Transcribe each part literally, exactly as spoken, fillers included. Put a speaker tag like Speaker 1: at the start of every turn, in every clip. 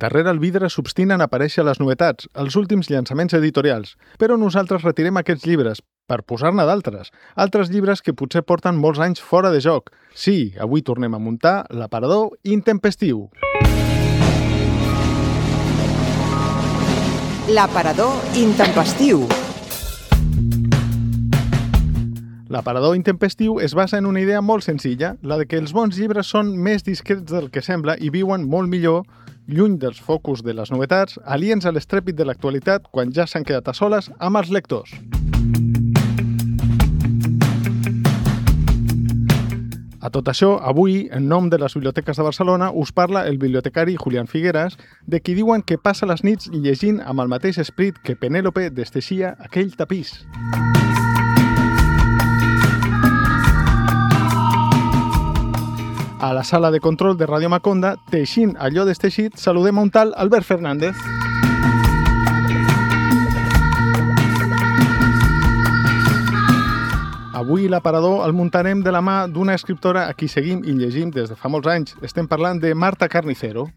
Speaker 1: Darrere el vidre s'obstinen a aparèixer les novetats, els últims llançaments editorials, però nosaltres retirem aquests llibres per posar-ne d'altres, altres llibres que potser porten molts anys fora de joc. Sí, avui tornem a muntar l'aparador intempestiu.
Speaker 2: L'aparador intempestiu.
Speaker 1: L'aparador intempestiu es basa en una idea molt senzilla, la de que els bons llibres són més discrets del que sembla i viuen molt millor, lluny dels focus de les novetats, aliens a l'estrèpit de l'actualitat quan ja s'han quedat a soles amb els lectors. A tot això, avui, en nom de les biblioteques de Barcelona, us parla el bibliotecari Julián Figueras, de qui diuen que passa les nits llegint amb el mateix esperit que Penèlope desteixia aquell tapís. A la sala de control de Ràdio Maconda, teixint allò desteixit, saludem a un tal Albert Fernández. Avui l'aparador el muntarem de la mà d'una escriptora a qui seguim i llegim des de fa molts anys. Estem parlant de Marta Carnicero.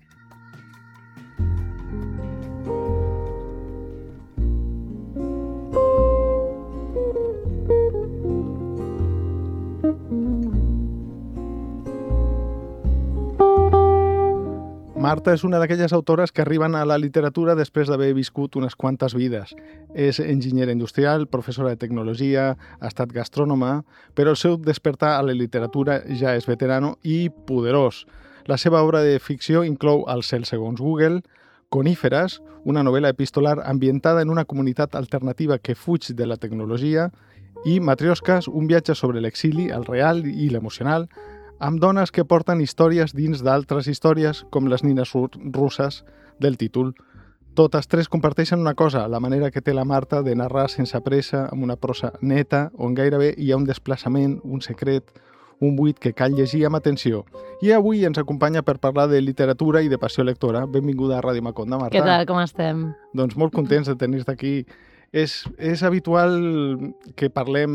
Speaker 1: Marta és una d'aquelles autores que arriben a la literatura després d'haver viscut unes quantes vides. És enginyera industrial, professora de tecnologia, ha estat gastrònoma, però el seu despertar a la literatura ja és veterano i poderós. La seva obra de ficció inclou El cel segons Google, Coníferes, una novel·la epistolar ambientada en una comunitat alternativa que fuig de la tecnologia, i Matriosques, un viatge sobre l'exili, el real i l'emocional, amb dones que porten històries dins d'altres històries, com les nines russes del títol. Totes tres comparteixen una cosa, la manera que té la Marta de narrar sense pressa, amb una prosa neta, on gairebé hi ha un desplaçament, un secret, un buit que cal llegir amb atenció. I avui ens acompanya per parlar de literatura i de passió lectora. Benvinguda a Ràdio Maconda, Marta.
Speaker 3: Què tal, com estem?
Speaker 1: Doncs molt contents de tenir-te aquí. És, és habitual que parlem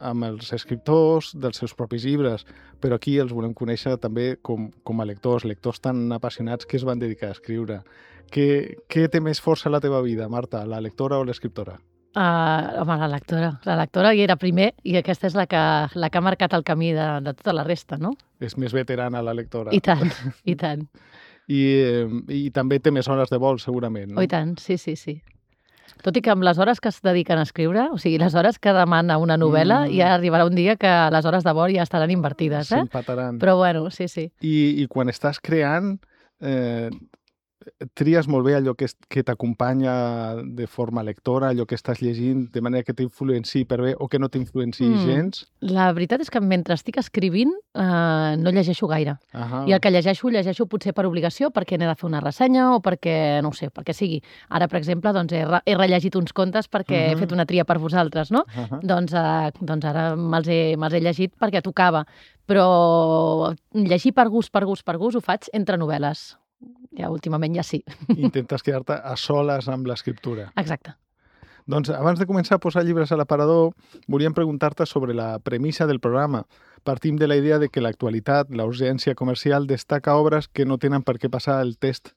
Speaker 1: amb els escriptors dels seus propis llibres, però aquí els volem conèixer també com, com a lectors, lectors tan apassionats que es van dedicar a escriure. Què, què té més força a la teva vida, Marta, la lectora o l'escriptora?
Speaker 3: Uh, home, la lectora. La lectora hi era primer i aquesta és la que, la que ha marcat el camí de, de tota la resta, no?
Speaker 1: És més veterana, la lectora.
Speaker 3: I tant, i tant.
Speaker 1: I, eh, i també té més hores de vol, segurament, no?
Speaker 3: Oh, i tant, sí, sí, sí. Tot i que amb les hores que es dediquen a escriure, o sigui, les hores que demana una novel·la, mm. ja arribarà un dia que les hores de vol ja estaran invertides, eh?
Speaker 1: S'empataran.
Speaker 3: Però bueno, sí, sí.
Speaker 1: I, i quan estàs creant, eh, tries molt bé allò que, que t'acompanya de forma lectora, allò que estàs llegint, de manera que t'influenciï per bé o que no t'influenciï mm. gens?
Speaker 3: La veritat és que mentre estic escrivint eh, no llegeixo gaire.
Speaker 1: Ahà.
Speaker 3: I el que llegeixo, llegeixo potser per obligació, perquè n'he de fer una ressenya o perquè, no ho sé, perquè sigui. Ara, per exemple, doncs, he, re he rellegit uns contes perquè uh-huh. he fet una tria per vosaltres, no? Uh-huh. doncs, eh, doncs ara me'ls he, me'ls he llegit perquè tocava. Però llegir per gust, per gust, per gust ho faig entre novel·les. Ja, últimament ja sí.
Speaker 1: Intentes quedar-te a soles amb l'escriptura.
Speaker 3: Exacte.
Speaker 1: Doncs abans de començar a posar llibres a l'aparador, volíem preguntar-te sobre la premissa del programa. Partim de la idea de que l'actualitat, la urgència comercial, destaca obres que no tenen per què passar el test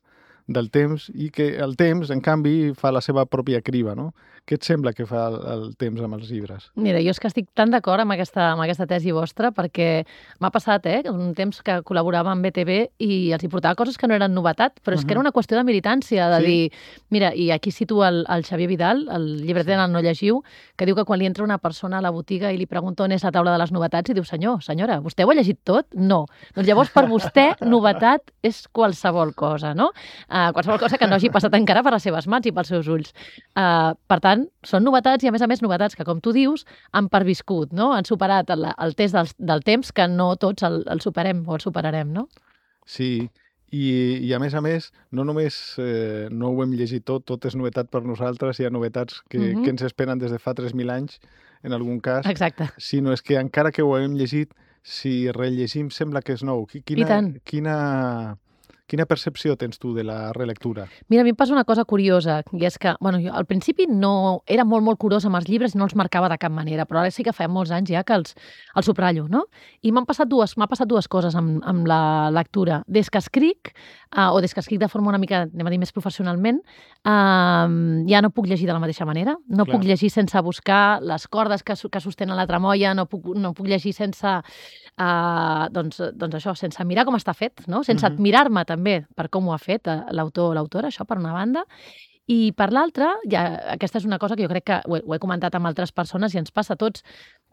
Speaker 1: del temps i que el temps, en canvi, fa la seva pròpia criba, no? Què et sembla que fa el, el temps amb els llibres?
Speaker 3: Mira, jo és que estic tan d'acord amb, aquesta, amb aquesta tesi vostra perquè m'ha passat, eh, un temps que col·laborava amb B T V i els hi portava coses que no eren novetat, però és uh-huh. que era una qüestió de militància, de sí. dir, mira, i aquí situa el, el Xavier Vidal, el llibreter sí. No llegiu, que diu que quan li entra una persona a la botiga i li pregunta on és la taula de les novetats i diu, senyor, senyora, vostè ho ha llegit tot? No. Doncs llavors per vostè novetat és qualsevol cosa, no? Uh, qualsevol cosa que no hagi passat encara per les seves mans i pels seus ulls. Uh, per tant, són novetats i, a més a més, novetats que, com tu dius, han perviscut, no? Han superat el, el test del, del temps que no tots el, el superem o el superarem, no?
Speaker 1: Sí, i, i a més a més, no només eh, no ho hem llegit tot, tot és novetat per nosaltres, hi ha novetats que, mm-hmm. que ens esperen des de fa tres mil anys, en algun cas.
Speaker 3: Exacte.
Speaker 1: Sinó és que encara que ho hem llegit, si rellegim sembla que és nou. Quina,
Speaker 3: I tant.
Speaker 1: Quina... Quina percepció tens tu de la relectura?
Speaker 3: Mira, a mi em passa una cosa curiosa, i és que, bueno, jo al principi no era molt, molt curosa amb els llibres i no els marcava de cap manera, però ara sí que fa molts anys ja que els, els subratllo, no? I m'han passat dues, m'ha passat dues coses amb, amb la lectura. Des que escric, uh, o des que escric de forma una mica, anem a dir, més professionalment, uh, ja no puc llegir de la mateixa manera. No Clar. puc llegir sense buscar les cordes que, que sostenen la tramoia, no puc, no puc llegir sense, uh, doncs, doncs això, sense mirar com està fet, no? Sense uh-huh. admirar-me també per com ho ha fet l'autor o l'autora, això per una banda. I per l'altra, ja, aquesta és una cosa que jo crec que ho he, ho he comentat amb altres persones i ens passa a tots,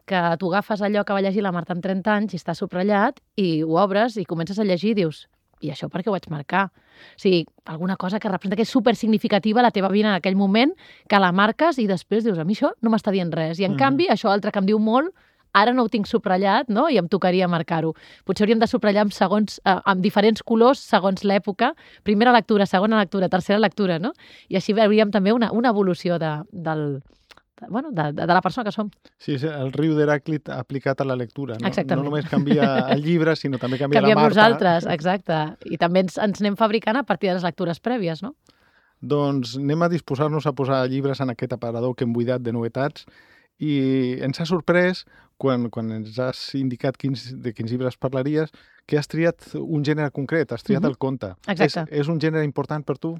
Speaker 3: que tu agafes allò que va llegir la Marta amb trenta anys i està subratllat i ho obres i comences a llegir i dius, i això per què ho vaig marcar? O sigui, alguna cosa que representa que és supersignificativa a la teva vida en aquell moment, que la marques i després dius, a mi això no m'està dient res. I en mm-hmm. canvi, això altre que em diu molt, ara no ho tinc subratllat, no? I em tocaria marcar-ho. Potser hauríem de subratllar amb, segons, eh, amb diferents colors segons l'època. Primera lectura, segona lectura, tercera lectura, no? I així veuríem també una, una evolució de, del, de, bueno, de, de la persona que som.
Speaker 1: Sí, és el riu d'Heràclit aplicat a la lectura. No?
Speaker 3: Exactament.
Speaker 1: No només canvia el llibre, sinó també canvia
Speaker 3: Canviem
Speaker 1: la Marta.
Speaker 3: nosaltres, exacte. I també ens, ens anem fabricant a partir de les lectures prèvies, no?
Speaker 1: Doncs anem a disposar-nos a posar llibres en aquest aparador que hem buidat de novetats i ens ha sorprès, quan, quan ens has indicat quins, de quins llibres parlaries, que has triat un gènere concret, has triat uh-huh. el conte.
Speaker 3: Exacte.
Speaker 1: És, és un gènere important per tu?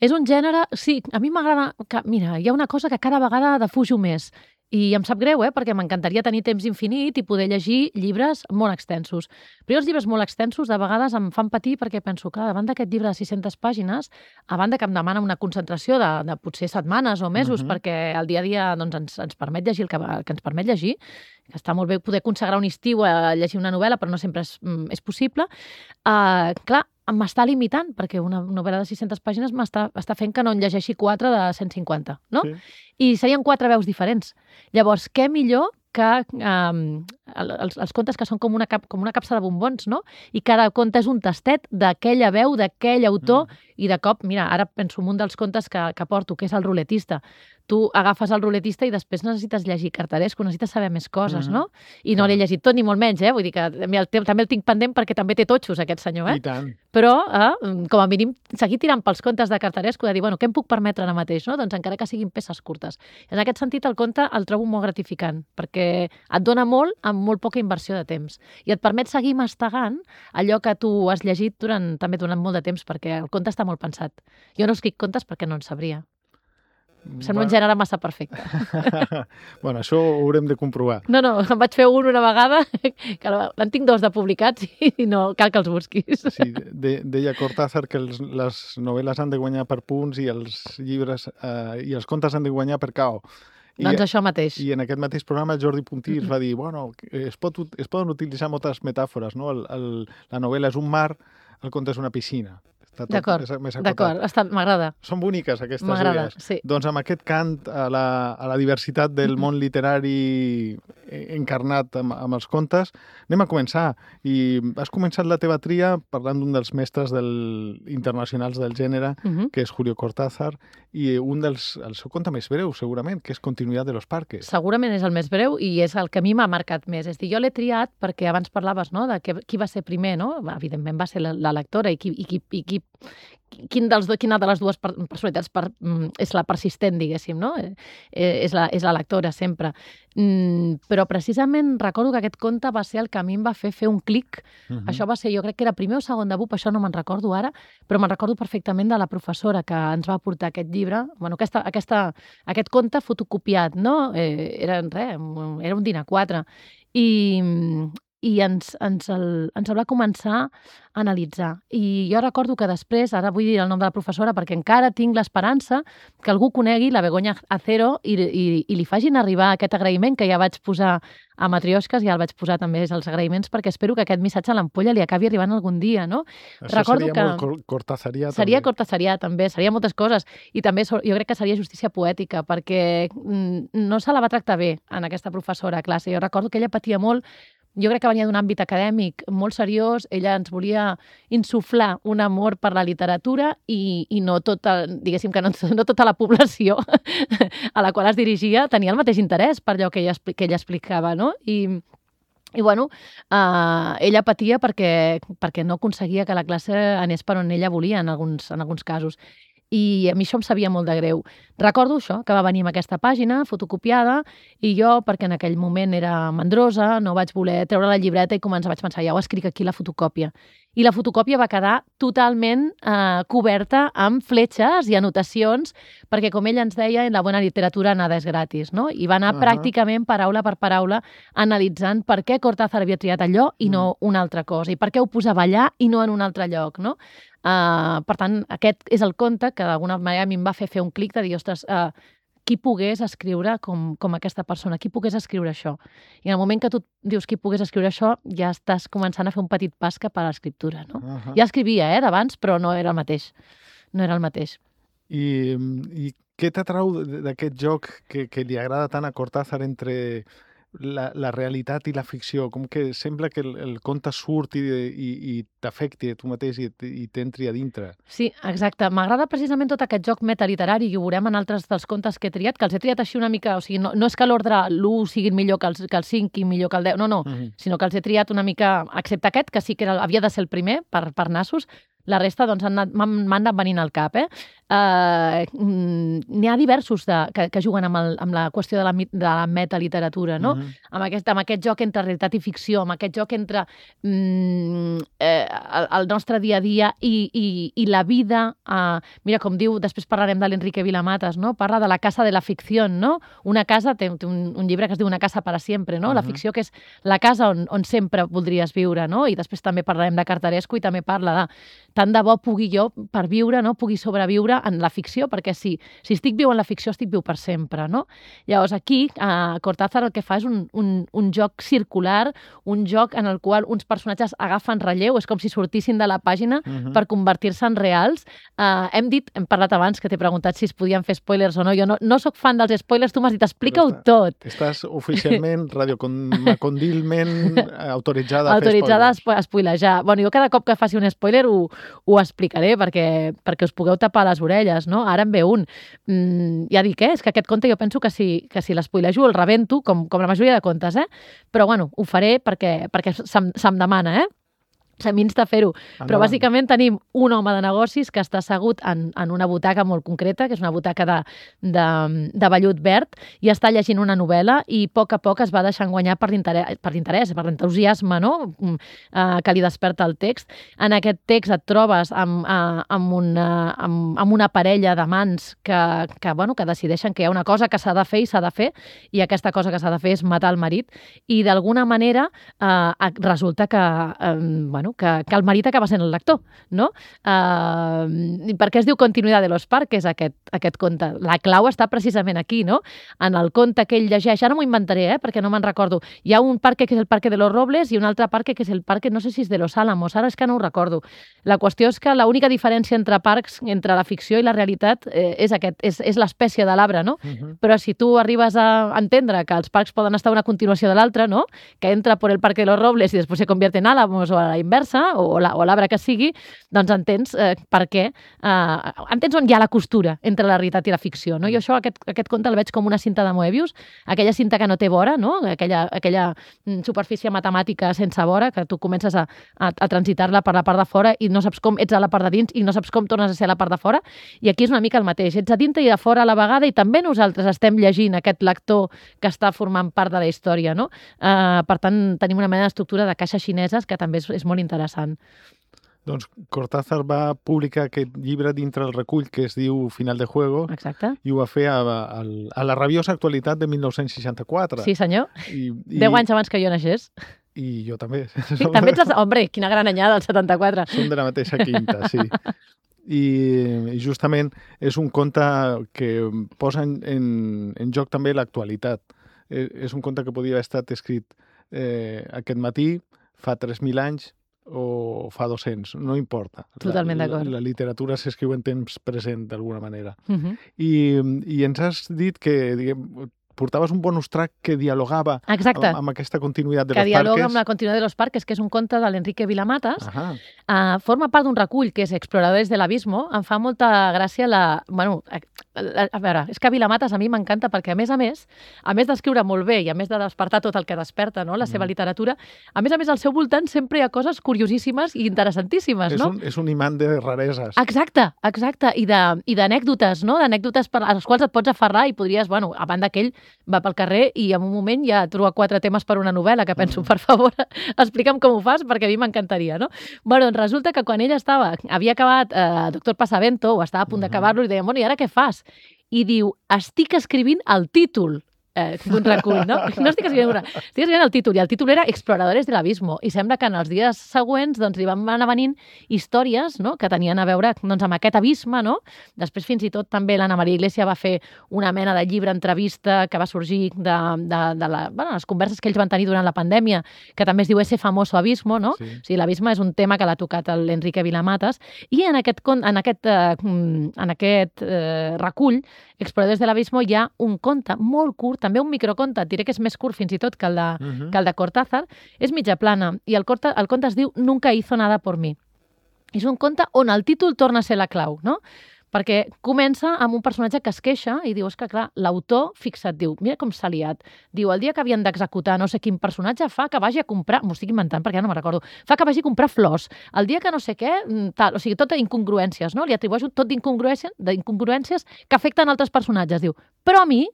Speaker 3: És un gènere, sí, a mi m'agrada... Que, mira, hi ha una cosa que cada vegada defujo més. I em sap greu, eh? Perquè m'encantaria tenir temps infinit i poder llegir llibres molt extensos. Però els llibres molt extensos de vegades em fan patir perquè penso, clar, davant d'aquest llibre de sis-centes pàgines, a banda que em demana una concentració de, de potser setmanes o mesos, uh-huh. perquè el dia a dia doncs, ens, ens permet llegir el que, el que ens permet llegir, que està molt bé poder consagrar un estiu a llegir una novel·la, però no sempre és, és possible, uh, clar, m'està limitant, perquè una novel·la de sis-centes pàgines m'està està fent que no en llegeixi quatre de cent cinquanta, no? Sí. I serien quatre veus diferents. Llavors, què millor que um, els, els contes que són com una, cap, com una capsa de bombons, no? I cada conte és un tastet d'aquella veu, d'aquell autor, mm. i de cop, mira, ara penso en un dels contes que, que porto, que és el ruletista. Tu agafes el ruletista i després necessites llegir Cartarescu, necessites saber més coses, mm-hmm. no? I no l'he llegit tot, ni molt menys, eh? Vull dir que també el, també el tinc pendent perquè també té totxos, aquest senyor, eh?
Speaker 1: I tant.
Speaker 3: Però, eh, com a mínim, seguir tirant pels contes de Cartarescu, de dir, bueno, què em puc permetre ara mateix, no? Doncs encara que siguin peces curtes. En aquest sentit, el conte el trobo molt gratificant, perquè et dona molt amb molt poca inversió de temps. I et permet seguir mastegant allò que tu has llegit durant, també durant molt de temps, perquè el conte està molt pensat. Jo no escric contes perquè no en sabria. Sembla bueno. un gènere massa perfecte.
Speaker 1: Bueno, això ho haurem de comprovar.
Speaker 3: No, no, em vaig fer un una vegada, que en tinc dos de publicats i no cal que els busquis.
Speaker 1: Sí, de, deia Cortázar que els, les novel·les han de guanyar per punts i els llibres eh, i els contes han de guanyar per K O. I,
Speaker 3: doncs això mateix.
Speaker 1: I en aquest mateix programa Jordi Puntí mm-hmm. va dir, bueno, es, pot, es poden utilitzar moltes metàfores, no? El, el, la novel·la és un mar, el conte és una piscina.
Speaker 3: D'acord, d'acord, m'agrada.
Speaker 1: Són boniques aquestes idees.
Speaker 3: Sí.
Speaker 1: Doncs amb aquest cant a la, a la diversitat del món literari encarnat amb, amb els contes, anem a començar. I has començat la teva tria parlant d'un dels mestres del, internacionals del gènere, uh-huh. que és Julio Cortázar, i un dels, el seu conte més breu, segurament, que és Continuidad de los Parques.
Speaker 3: Segurament és el més breu i és el que a mi m'ha marcat més. És a dir, jo l'he triat perquè abans parlaves, no?, de que, qui va ser primer, no? Evidentment va ser la, la lectora i qui, i qui, i qui Quin dels do, quina de les dues personalitats per, és la persistent, diguéssim, no? Eh, és, la, és la lectora, sempre. Mm, però precisament recordo que aquest conte va ser el que a mi em va fer fer un clic. Uh-huh. Això va ser, jo crec que era primer o segon de B U P, això no me'n recordo ara, però me'n recordo perfectament de la professora que ens va portar aquest llibre, bueno, aquesta, aquesta, aquest conte fotocopiat, no? Eh, era, res, era un dinar quatre. I... i ens, ens, el, ens el va començar a analitzar. I jo recordo que després, ara vull dir el nom de la professora perquè encara tinc l'esperança que algú conegui la Begoña Acero i, i, i li facin arribar aquest agraïment que ja vaig posar a Matriosques, ja el vaig posar també els agraïments perquè espero que aquest missatge a l'ampolla li acabi arribant algun dia, no?
Speaker 1: Això recordo seria que molt cortasarià.
Speaker 3: Seria
Speaker 1: també.
Speaker 3: cortasarià, també. Seria moltes coses. I també jo crec que seria justícia poètica perquè no se la va tractar bé en aquesta professora a classe. Jo recordo que ella patia molt. Jo crec que venia d'un àmbit acadèmic molt seriós, ella ens volia insuflar un amor per la literatura i, i no tota, diguéssim que no, no tota la població a la qual es dirigia tenia el mateix interès per allò que ella, que ella explicava, no? I, I, bueno, eh, ella patia perquè, perquè no aconseguia que la classe anés per on ella volia en alguns, en alguns casos. I a mi això em sabia molt de greu. Recordo això, que va venir amb aquesta pàgina fotocopiada i jo, perquè en aquell moment era mandrosa, no vaig voler treure la llibreta i començar, vaig pensar, ja ho escric aquí la fotocòpia. I la fotocòpia va quedar totalment eh, coberta amb fletxes i anotacions, perquè, com ella ens deia, en la bona literatura nada és gratis, no? I va anar uh -huh. pràcticament paraula per paraula analitzant per què Cortázar havia triat allò i no uh -huh. una altra cosa, i per què ho posava allà i no en un altre lloc, no? Uh, per tant, aquest és el conte que d'alguna manera a mi em va fer fer un clic de dir, ostres, uh, qui pogués escriure com, com aquesta persona, qui pogués escriure això. I en el moment que tu dius qui pogués escriure això, ja estàs començant a fer un petit pas cap a l'escriptura, no? Uh -huh. Ja escrivia, eh, d'abans, però no era el mateix. No era el mateix.
Speaker 1: I, i què t'atrau d'aquest joc que, que li agrada tant a Cortázar entre la, la realitat i la ficció? Com que sembla que el, el conte surt i, i, i t'afecti a tu mateix i, i t'entri a dintre.
Speaker 3: Sí, exacte. M'agrada precisament tot aquest joc metaliterari i ho veurem en altres dels contes que he triat, que els he triat així una mica, o sigui, no, no és que l'ordre l'u sigui millor que el, que el cinc i millor que el deu, no, no, uh -huh. sinó que els he triat una mica, excepte aquest, que sí que era, havia de ser el primer per, per nassos, la resta doncs, m'han anat venint al cap. Eh? Uh, N'hi ha diversos de, que, que juguen amb, el, amb la qüestió de la, de la metaliteratura, no? Uh-huh. amb, aquest, amb aquest joc entre realitat i ficció, amb aquest joc entre mm, eh, el, el nostre dia a dia i, i, i la vida. Uh, mira, com diu, després parlarem de l'Enrique Vilamatas, no? Parla de la casa de la ficció, no? Una casa, té, té un, un llibre que es diu Una casa para siempre, no? Uh-huh. La ficció que és la casa on, on sempre voldries viure, no? I després també parlarem de Cartarescu i també parla de tant de bo pugui jo, per viure, no? Pugui sobreviure en la ficció, perquè si, si estic viu en la ficció, estic viu per sempre, no? Llavors, aquí, eh, Cortázar el que fa és un, un, un joc circular, un joc en el qual uns personatges agafen relleu, és com si sortissin de la pàgina uh-huh. per convertir-se en reals. Eh, hem dit, hem parlat abans, que t'he preguntat si es podien fer spoilers o no. Jo no, no sóc fan dels spoilers, tu m'has dit, explica-ho està, tot.
Speaker 1: Estàs oficialment, radiocondilment autoritzada a
Speaker 3: autoritzada
Speaker 1: fer spoilers.
Speaker 3: a spoilejar. Bueno, jo cada cop que faci un spoiler ho, ho explicaré perquè, perquè us pugueu tapar les orelles, no? Ara en ve un. Mm, ja dic, eh? És que aquest conte jo penso que si, que si l'espoilejo el rebento, com, com la majoria de contes, eh? Però bueno, ho faré perquè, perquè se'm, se'm demana, eh? Se m'insta a fer-ho. Però bàsicament tenim un home de negocis que està assegut en, en una butaca molt concreta, que és una butaca de, de, de vellut verd, i està llegint una novel·la i a poc a poc es va deixant guanyar per l'interès, per l'interès, per l'entusiasme, no? Uh, que li desperta el text. En aquest text et trobes amb, uh, amb, una, amb, amb una parella d'amants que, que, bueno, que decideixen que hi ha una cosa que s'ha de fer i s'ha de fer, i aquesta cosa que s'ha de fer és matar el marit, i d'alguna manera uh, resulta que, uh, bueno, Que, que el marit acaba sent el lector, no? Uh, per què es diu Continuidad de los Parques, aquest, aquest conte? La clau està precisament aquí, no? En el conte que ell llegeix, ara m'ho inventaré, eh? Perquè no me'n recordo. Hi ha un parque que és el Parque de los Robles i un altre parque que és el parque, no sé si és de los Álamos, ara és que no ho recordo. La qüestió és que l'única diferència entre parcs, entre la ficció i la realitat, eh, és, aquest, és, és l'espècie de l'arbre, no? Uh-huh. Però si tu arribes a entendre que els parcs poden estar una continuació de l'altre, no? Que entra per el Parque de los Robles i després se convierte en Álamos o a la inversa, o l'arbre que sigui, doncs entens eh, per què, eh, entens on hi ha la costura entre la realitat i la ficció, no? Jo això, aquest, aquest conte el veig com una cinta de Moebius, aquella cinta que no té vora, no? Aquella, aquella superfície matemàtica sense vora, que tu comences a, a, a transitar-la per la part de fora i no saps com ets a la part de dins i no saps com tornes a ser a la part de fora, i aquí és una mica el mateix, ets a dintre i a fora a la vegada, i també nosaltres estem llegint aquest lector que està formant part de la història, no? Eh, per tant, tenim una mena d'estructura de caixes xineses que també és, és molt interessant.
Speaker 1: Doncs Cortázar va publicar aquest llibre dintre el recull que es diu Final de Juego.
Speaker 3: Exacte.
Speaker 1: I ho va fer a, a, a la rabiosa actualitat de mil nou-cents seixanta-quatre.
Speaker 3: Sí, senyor. I, i... Deu anys abans que jo naixés.
Speaker 1: I jo també.
Speaker 3: Sí, també ets... Hombre, quina gran anyada, del setanta-quatre.
Speaker 1: Som de la mateixa quinta, sí. I, i justament és un conte que posa en, en, en joc també l'actualitat. Eh, és un conte que podia haver estat escrit eh, aquest matí, fa tres mil anys, o fa dos-cents, no importa.
Speaker 3: Totalment d'acord.
Speaker 1: La, la literatura s'escriu en temps present, d'alguna manera.
Speaker 3: Uh -huh.
Speaker 1: I, I ens has dit que, diguem, portaves un bonus track que dialogava amb, amb aquesta continuïtat de
Speaker 3: que
Speaker 1: los parques.
Speaker 3: Que dialoga amb la continuïtat de los parques, que és un conte de l'Enrique Vilamatas. Uh, forma part d'un recull que és Exploradores del Abismo. Em fa molta gràcia la... Bueno, a veure, és que Vilamatas a mi m'encanta perquè, a més a més, a més d'escriure molt bé i a més de despertar tot el que desperta, no?, la seva
Speaker 1: Mm.
Speaker 3: literatura, a més a més, al seu voltant sempre hi ha coses curiosíssimes i interessantíssimes,
Speaker 1: És
Speaker 3: no?
Speaker 1: un, és un imant de rareses.
Speaker 3: Exacte, exacte, i de- i d'anècdutes, no?, d'anècdotes per a les quals et pots aferrar i podries, bueno, a banda que ell va pel carrer i en un moment ja troba quatre temes per una novel·la, que penso,
Speaker 1: Mm.
Speaker 3: per favor, explica'm com ho fas, perquè a mi m'encantaria, no? Bueno, doncs resulta que quan ell estava, havia acabat eh, Doctor Pasavento, o estava a punt
Speaker 1: Mhm.
Speaker 3: d'acabar-lo, i deia, bueno, i ara què fas? I diu, estic escrivint el títol eh, d'un recull, no? No estic escrivint una, estic escrivint el títol, i el títol era Exploradores del Abismo, i sembla que en els dies següents doncs, li van anar venint històries, no?, que tenien a veure doncs, amb aquest abisme, no? Després, fins i tot, també l'Anna Maria Iglesias va fer una mena de llibre entrevista que va sorgir de, de, de la, bueno, les converses que ells van tenir durant la pandèmia, que també es diu Ese famoso abismo, no?
Speaker 1: Sí.
Speaker 3: O sigui, l'abisme és un tema que l'ha tocat l'Enrique Vilamatas, i en aquest, con- en aquest, eh, en aquest eh, recull, Exploradores de l'Abismo, hi ha un conte molt curt, també un microconte, et diré que és més curt fins i tot que el de,
Speaker 1: Mhm.
Speaker 3: que el de Cortázar, és mitja plana, i el conte, el conte es diu Nunca hizo nada por mí. És un conte on el títol torna a ser la clau, no? Perquè comença amb un personatge que es queixa i diu, és que clar, l'autor, fixa't, diu, mira com s'ha liat, diu, el dia que havien d'executar no sé quin personatge fa que vagi a comprar, m'ho estic inventant perquè ja no me'n recordo, fa que vagi a comprar flors, el dia que no sé què, mm, tal, o sigui, tot incongruències, no? Li atribueixo tot d'incongruències, d'incongruències que afecten altres personatges, diu, però a mi,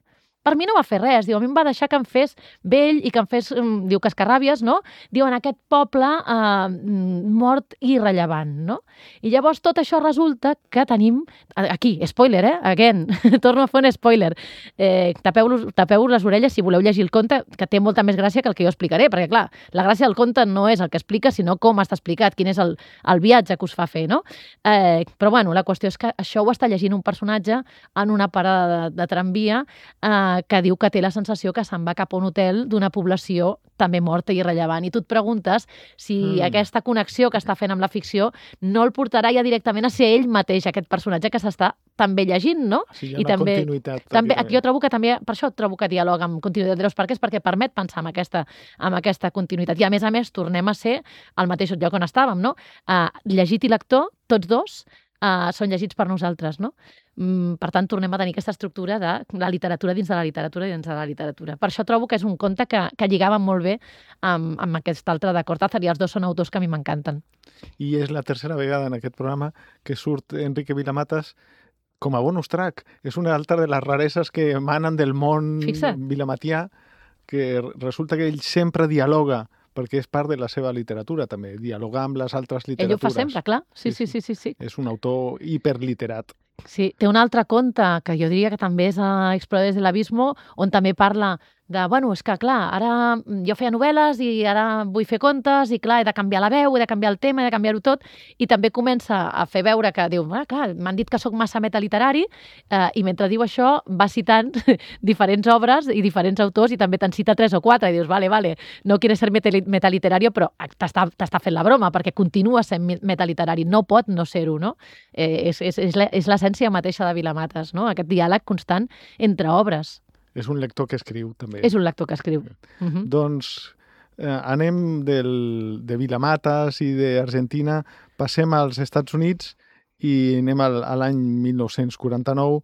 Speaker 3: per mi no va fer res, diu, a mi em va deixar que em fes vell i que em fes, mm, diu, cascarràbies, no? Diu, en aquest poble eh, mm, mort i irrellevant, no? I llavors tot això resulta que tenim, aquí, spoiler, eh? Again, torno a fer un spoiler. Eh, tapeu-vos tapeu les orelles si voleu llegir el conte, que té molta més gràcia que el que jo explicaré, perquè clar, la gràcia del conte no és el que explica, sinó com està explicat, quin és el, el viatge que us fa fer, no? Eh, però bueno, la qüestió és que això ho està llegint un personatge en una parada de, de tramvia eh, que diu que té la sensació que se'n va cap a un hotel d'una població també morta i irrellevant. I tu et preguntes si
Speaker 1: Mm.
Speaker 3: aquesta connexió que està fent amb la ficció no el portarà ja directament a ser ell mateix, aquest personatge que s'està també llegint, no?
Speaker 1: Sí, hi ha
Speaker 3: I
Speaker 1: una
Speaker 3: també-
Speaker 1: continuïtat.
Speaker 3: També,
Speaker 1: pràcticament.
Speaker 3: aquí jo trobo que també, per això trobo que dialoga amb continuïtat de los parques, perquè permet pensar en aquesta, en aquesta continuïtat. I a més a més tornem a ser al mateix lloc on estàvem, no? Uh, llegit i lector, tots dos, uh, són llegits per nosaltres, no? Mm, per tant, tornem a tenir aquesta estructura de la literatura dins de la literatura i dins de la literatura. Per això trobo que és un conte que, que lligava molt bé amb, amb aquest altre de Cortázar, i els dos són autors que a mi m'encanten.
Speaker 1: I és la tercera vegada en aquest programa que surt Enrique Vilamatas com a bonus track. És una altra de les rareses que emanen del món
Speaker 3: Fixa't.
Speaker 1: vilamatià, que resulta que ell sempre dialoga, perquè és part de la seva literatura, també, dialogar amb les altres
Speaker 3: Ell ho
Speaker 1: literatures.
Speaker 3: fa sempre, clar. Sí,
Speaker 1: Sí,
Speaker 3: sí, sí, sí. sí.
Speaker 1: És un autor hiperliterat.
Speaker 3: Sí, té un altre conte que jo diria que també és a Exploradores de l'Abismo, on també parla de, bueno, és que clar, ara jo feia novel·les i ara vull fer contes i clar, he de canviar la veu, he de canviar el tema, he de canviar-ho tot, i també comença a fer veure que diu, ah, clar, m'han dit que sóc massa metaliterari, eh, i mentre diu això va citant diferents obres i diferents autors, i també te'n cita tres o quatre, i dius, vale, vale, no quieres ser metali- metaliterario, però t'està t'està fent la broma, perquè continua sent mi- metaliterari, no pot no ser-ho, no? Eh, és és, és la- és l'essència mateixa de Vilamatas, no? Aquest diàleg constant entre obres.
Speaker 1: És un lector que escriu, també.
Speaker 3: És un lector que escriu. Uh -huh.
Speaker 1: Doncs eh, anem del, de Vilamatas i d'Argentina, passem als Estats Units i anem al, a l'any mil nou-cents quaranta-nou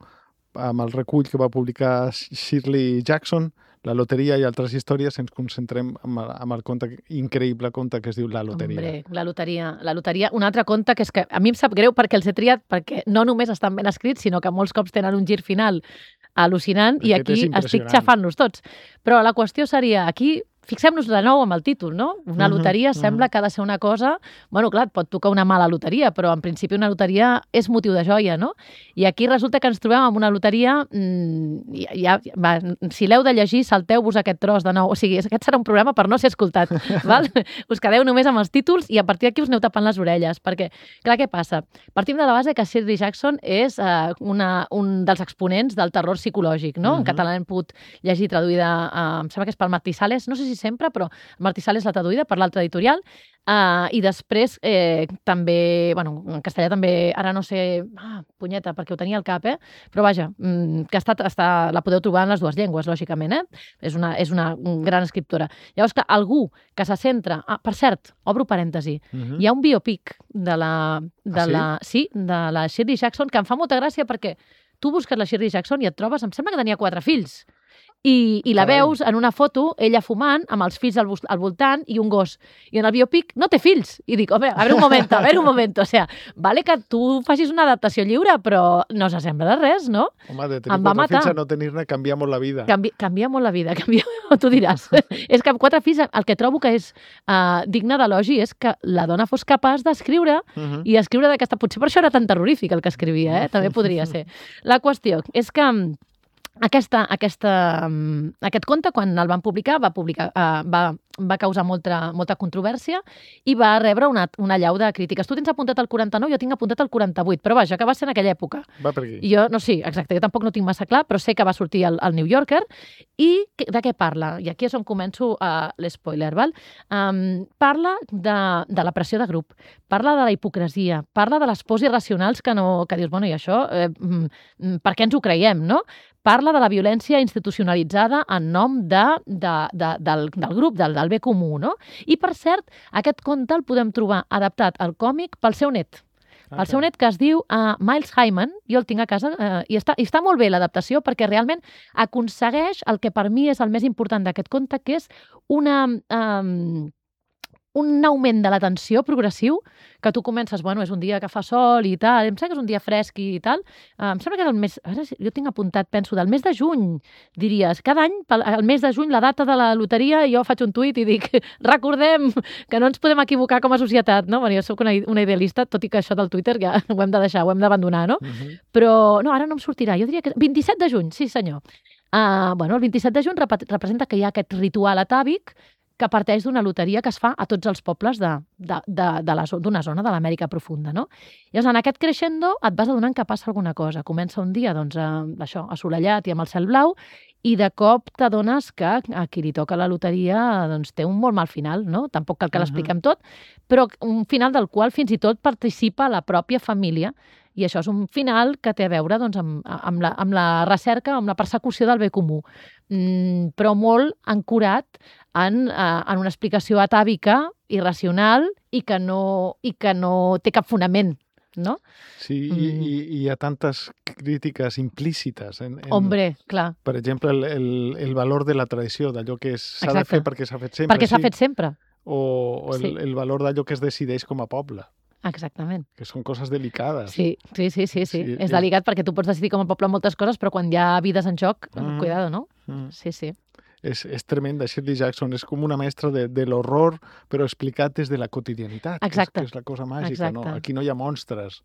Speaker 1: amb el recull que va publicar Shirley Jackson, La loteria i altres històries. Ens concentrem amb el, amb el conte, increïble conte que es diu La loteria.
Speaker 3: Hombre, la loteria, la loteria. Un altre conte que és que a mi em sap greu perquè els he triat, perquè no només estan ben escrits, sinó que molts cops tenen un gir final al·lucinant, i
Speaker 1: Aquest és
Speaker 3: aquí estic
Speaker 1: impressionant.
Speaker 3: xafant-los tots. Però la qüestió seria, aquí, fixem-nos de nou amb el títol, no? Una
Speaker 1: Mhm,
Speaker 3: loteria
Speaker 1: mhm.
Speaker 3: sembla que ha de ser una cosa... Bueno, clar, et pot tocar una mala loteria, però en principi una loteria és motiu de joia, no? I aquí resulta que ens trobem amb una loteria... Mmm, ja, va, si l'heu de llegir, salteu-vos aquest tros de nou. O sigui, aquest serà un programa per no ser escoltat, val? Us quedeu només amb els títols i a partir d'aquí us aneu tapant les orelles, perquè, clar, què passa? Partim de la base que Shirley Jackson és eh, una, un dels exponents del terror psicològic, no?
Speaker 1: Mhm.
Speaker 3: En català l'hem pogut llegir traduïda, eh, em sembla que és pel Martí Sales, no sé si sempre, però Martí Sales l'ha traduïda per l'altra editorial, uh, i després eh, també, bueno, en castellà també, ara no sé, ah, punyeta, perquè ho tenia al cap, eh? Però vaja, mm, que està, està, la podeu trobar en les dues llengües, lògicament, eh? És una, és una gran escriptora. Llavors, que algú que se centra... Ah, per cert, obro parèntesi,
Speaker 1: Mhm.
Speaker 3: hi ha un biopic de la, de
Speaker 1: Ah, sí?
Speaker 3: la, sí, de la Shirley Jackson que em fa molta gràcia perquè tu busques la Shirley Jackson i et trobes, em sembla que tenia quatre fills. I, i la
Speaker 1: Carai.
Speaker 3: veus en una foto, ella fumant, amb els fills al, al voltant i un gos. I en el biopic no té fills. I dic, home, a veure un moment, a veure un moment. O sea, vale que tu facis una adaptació lliure, però no s'assembla de res, no?
Speaker 1: Home, de tenir
Speaker 3: Em va
Speaker 1: quatre
Speaker 3: matar.
Speaker 1: fills a no tenir-ne canvia molt la vida.
Speaker 3: Canvi, canvia molt la vida, canvia, tu diràs. És que amb quatre fills el que trobo que és uh, digne d'elogi és que la dona fos capaç d'escriure
Speaker 1: Uh -huh.
Speaker 3: i escriure d'aquesta... Potser per això era tan terrorífic el que escrivia, eh? També podria ser. La qüestió és que aquesta, aquesta, um, aquest conte, quan el van publicar, va, publicar, uh, va, va causar molta, molta controvèrsia i va rebre una, una allau de crítiques. Tu tens apuntat el quaranta-nou, jo tinc apuntat el quaranta-vuit, però vaja, que va ser en aquella època.
Speaker 1: Va per aquí.
Speaker 3: Jo, no, sí, exacte, jo tampoc no tinc massa clar, però sé que va sortir al, al New Yorker. I de què parla? I aquí és on començo uh, l'espoiler, val? Um, parla de, de la pressió de grup, parla de la hipocresia, parla de les pors irracionals que, no, que dius, bueno, i això, eh, mm, per què ens ho creiem, no? Parla de la violència institucionalitzada en nom de, de, de, del, del grup, del, del bé comú, no? I, per cert, aquest conte el podem trobar adaptat al còmic pel seu net. El seu net, que es diu uh, Miles Hyman, jo el tinc a casa, uh, i, està, i està molt bé l'adaptació perquè realment aconsegueix el que per mi és el més important d'aquest conte, que és una... Um, un augment de la tensió progressiu, que tu comences, bueno, és un dia que fa sol i tal, em sembla que és un dia fresc i tal, uh, em sembla que és el mes, ara jo tinc apuntat, penso, del mes de juny, diries, cada any, el mes de juny, la data de la loteria, jo faig un tuit i dic, recordem que no ens podem equivocar com a societat, no? Bueno, jo soc una, una idealista, tot i que això del Twitter ja ho hem de deixar, ho hem d'abandonar, no?
Speaker 1: Uh -huh.
Speaker 3: Però, no, ara no em sortirà, jo diria que vint-i-set de juny, sí senyor. Uh, bueno, el vint-i-set de juny rep representa que hi ha aquest ritual atàvic que parteix d'una loteria que es fa a tots els pobles d'una de, de, de la, zona de l'Amèrica profunda, no? Llavors, en aquest crescendo et vas adonant que passa alguna cosa. Comença un dia, doncs, a, això, assolellat i amb el cel blau, i de cop t'adones que a qui li toca la loteria doncs, té un molt mal final, no? Tampoc cal que l'expliquem tot, però un final del qual fins i tot participa la pròpia família. I això és un final que té a veure doncs, amb, amb, la, amb la recerca, amb la persecució del bé comú, mm, però molt ancorat en, uh, en una explicació atàvica, irracional i que no, i que no té cap fonament, no?
Speaker 1: Sí, mm. i, i hi ha tantes crítiques implícites. En, en,
Speaker 3: Hombre, clar.
Speaker 1: Per exemple, el, el, el valor de la tradició, d'allò que s'ha de fer perquè s'ha fet sempre.
Speaker 3: Perquè s'ha fet sempre.
Speaker 1: O, o el,
Speaker 3: sí.
Speaker 1: el valor d'allò que es decideix com a poble.
Speaker 3: Exactament.
Speaker 1: Que són coses delicades.
Speaker 3: Sí, sí, sí, sí, sí.
Speaker 1: sí
Speaker 3: és delicat perquè tu pots decidir com a poble moltes coses, però quan hi ha vides en joc,
Speaker 1: mm.
Speaker 3: cuidado, no?
Speaker 1: Mm.
Speaker 3: Sí, sí.
Speaker 1: És, és tremenda. Shirley Jackson és com una mestra de, de l'horror, però explicat des de la quotidianitat.
Speaker 3: Exacte.
Speaker 1: Que és, que és la cosa màgica. No? Aquí no hi ha monstres.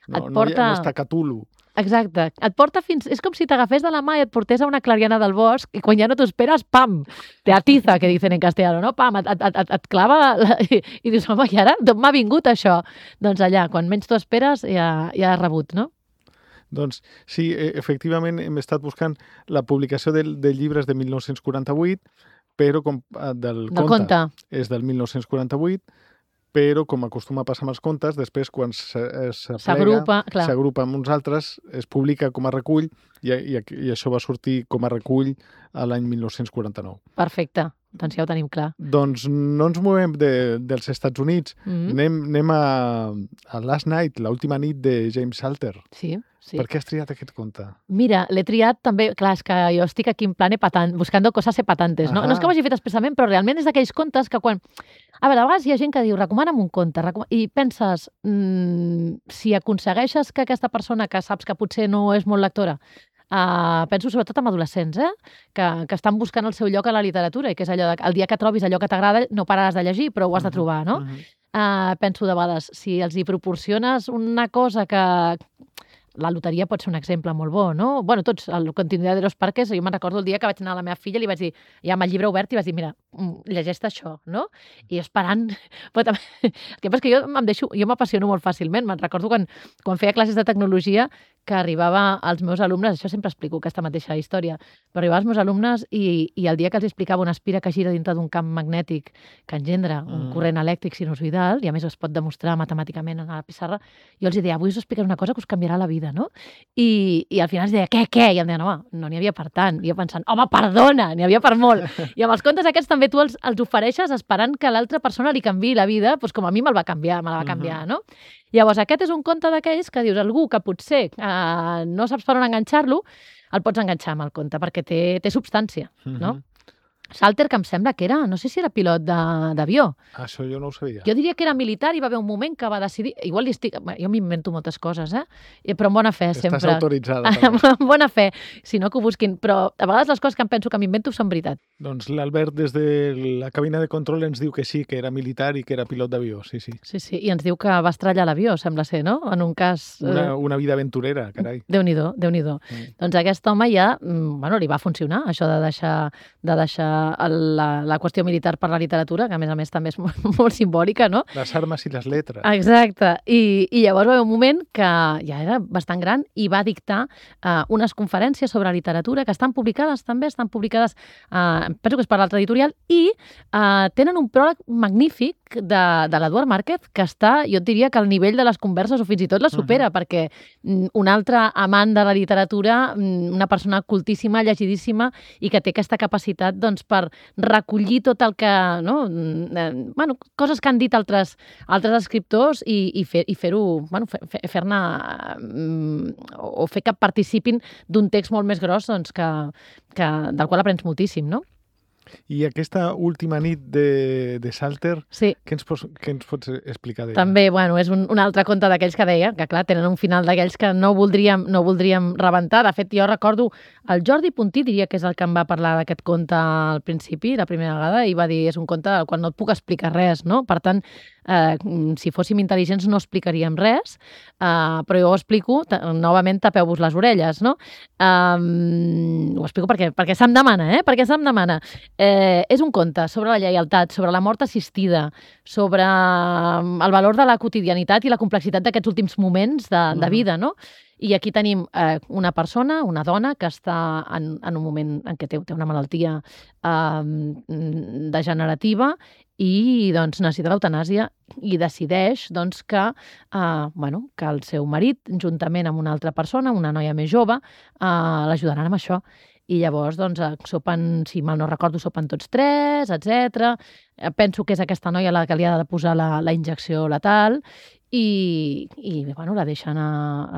Speaker 1: No,
Speaker 3: porta...
Speaker 1: no, hi ha, no està Cthulhu.
Speaker 3: Exacte. Et porta fins... És com si t'agafés de la mà i et portés a una clariana del bosc i quan ja no t'ho esperes, pam! Te atiza, que dicen en castellano, no? Pam! Et, et, et, et clava la... i, i dius, home, i ara d'on m'ha vingut això? Doncs allà, quan menys t'ho esperes, ja, ja has rebut, no?
Speaker 1: Doncs sí, efectivament hem estat buscant la publicació de, de llibres de mil nou-cents quaranta-vuit, però com, del,
Speaker 3: del
Speaker 1: conte,
Speaker 3: conte
Speaker 1: és del mil nou-cents quaranta-vuit, però com acostuma a passar amb els contes, després quan s'agrupa amb uns altres, es publica com a recull i, i, i això va sortir com a recull a l'any mil nou-cents quaranta-nou.
Speaker 3: Perfecte. Doncs ja ho tenim clar.
Speaker 1: Doncs no ens movem de, dels Estats Units. Mm-hmm. anem, anem a, a Last Night, l'última nit de James Salter.
Speaker 3: Sí, sí.
Speaker 1: Per què has triat aquest conte?
Speaker 3: Mira, l'he triat també... Clar, és que jo estic aquí en plan epatant, buscando coses epatantes, no? No és que ho hagi fet expressament, però realment és d'aquells contes que quan... A veure, a vegades hi ha gent que diu, recomana'm un conte, recom... i penses, mmm, si aconsegueixes que aquesta persona que saps que potser no és molt lectora, Uh, penso sobretot en adolescents, eh? que, que estan buscant el seu lloc a la literatura i que és allò de, el dia que trobis allò que t'agrada no pararàs de llegir, però ho has de trobar, no? Uh-huh. uh, penso de vegades, si els hi proporciones una cosa que... La loteria pot ser un exemple molt bo, no? Bueno, tots, el Continuidad de los Parques, jo me'n recordo el dia que vaig anar a la meva filla i li vaig dir, ja amb el llibre obert, i vaig dir, mira, llegeix-te això, no? I esperant... Però també... El que passa és que jo em deixo, jo m'apassiono molt fàcilment. Me'n recordo quan, quan feia classes de tecnologia que arribava als meus alumnes, això sempre explico aquesta mateixa història, però arribava als meus alumnes i, i el dia que els explicava una espira que gira dintre d'un camp magnètic que engendra un mm. corrent elèctric sinusoidal, i a més es pot demostrar matemàticament a la pissarra, jo els deia, avui us explicaré una cosa que us canviarà la vida. vida, no? I, i al final es deia, què, què? I em deien, home, no n'hi havia per tant. I jo pensant, home, perdona, n'hi havia per molt. I amb els contes aquests també tu els, els ofereixes esperant que l'altra persona li canviï la vida, doncs com a mi me'l va canviar, me la va canviar, no? Llavors, aquest és un conte d'aquells que dius, algú que potser eh, no saps per on enganxar-lo, el pots enganxar amb el conte, perquè té, té substància, no? Salter, que em sembla que era, no sé si era pilot d'avió.
Speaker 1: Això jo no ho sabia.
Speaker 3: Jo diria que era militar i va haver un moment que va decidir... Igual li estic... Jo m'invento moltes coses, eh? Però amb bona fe,
Speaker 1: Estàs
Speaker 3: sempre.
Speaker 1: Estàs autoritzada.
Speaker 3: Amb bona fe, si no que ho busquin. Però a vegades les coses que em penso que m'invento són veritat.
Speaker 1: Doncs l'Albert des de la cabina de control ens diu que sí, que era militar i que era pilot d'avió, sí, sí.
Speaker 3: Sí, sí, i ens diu que va estrellar l'avió, sembla ser, no? En un cas...
Speaker 1: Una, una vida aventurera, carai.
Speaker 3: Déu-n'hi-do, Déu-n'hi-do. Mm. Doncs aquest home ja, bueno, li va funcionar, això de deixar, de deixar la, la qüestió militar per la literatura, que a més a més també és molt, molt simbòlica, no?
Speaker 1: Les armes i les lletres.
Speaker 3: Exacte. I, i llavors va haver un moment que ja era bastant gran i va dictar uh, unes conferències sobre literatura que estan publicades també, estan publicades, uh, penso que és per l'altra editorial, i uh, tenen un pròleg magnífic de, de l'Eduard Márquez que està, jo et diria que al nivell de les converses o fins i tot la supera, uh-huh. perquè mm, un altre amant de la literatura, mm, una persona cultíssima, llegidíssima i que té aquesta capacitat doncs, per recollir tot el que... No? Eh, bueno, coses que han dit altres, altres escriptors i, i, fer, i fer-ho... Bueno, fer, fer-ne... Mm, o fer que participin d'un text molt més gros doncs, que, que, del qual aprens moltíssim, no?
Speaker 1: I aquesta última nit de, de Salter,
Speaker 3: sí.
Speaker 1: què, ens pots, què ens pots explicar d'ella?
Speaker 3: També, bueno, és un, un altre conte d'aquells que deia, que clar, tenen un final d'aquells que no voldríem, no voldríem rebentar. De fet, jo recordo, el Jordi Puntí diria que és el que em va parlar d'aquest conte al principi, la primera vegada, i va dir, és un conte al qual no et puc explicar res, no? Per tant, eh, si fóssim intel·ligents no explicaríem res, eh, però jo ho explico, novament tapeu-vos les orelles, no? Um, ho explico perquè, perquè se'm demana, eh? Perquè se'm demana. Eh, és un conte sobre la lleialtat, sobre la mort assistida, sobre el valor de la quotidianitat i la complexitat d'aquests últims moments de, de vida, no? I aquí tenim eh, una persona, una dona, que està en, en un moment en què té, té una malaltia eh, degenerativa i doncs, necessita l'eutanàsia i decideix doncs, que, eh, bueno, que el seu marit, juntament amb una altra persona, una noia més jove, eh, l'ajudaran amb això. I llavors, doncs, sopen, si mal no recordo, sopen tots tres, etcètera. Penso que és aquesta noia la que li ha de posar la, la injecció letal i, i bueno, la deixen a,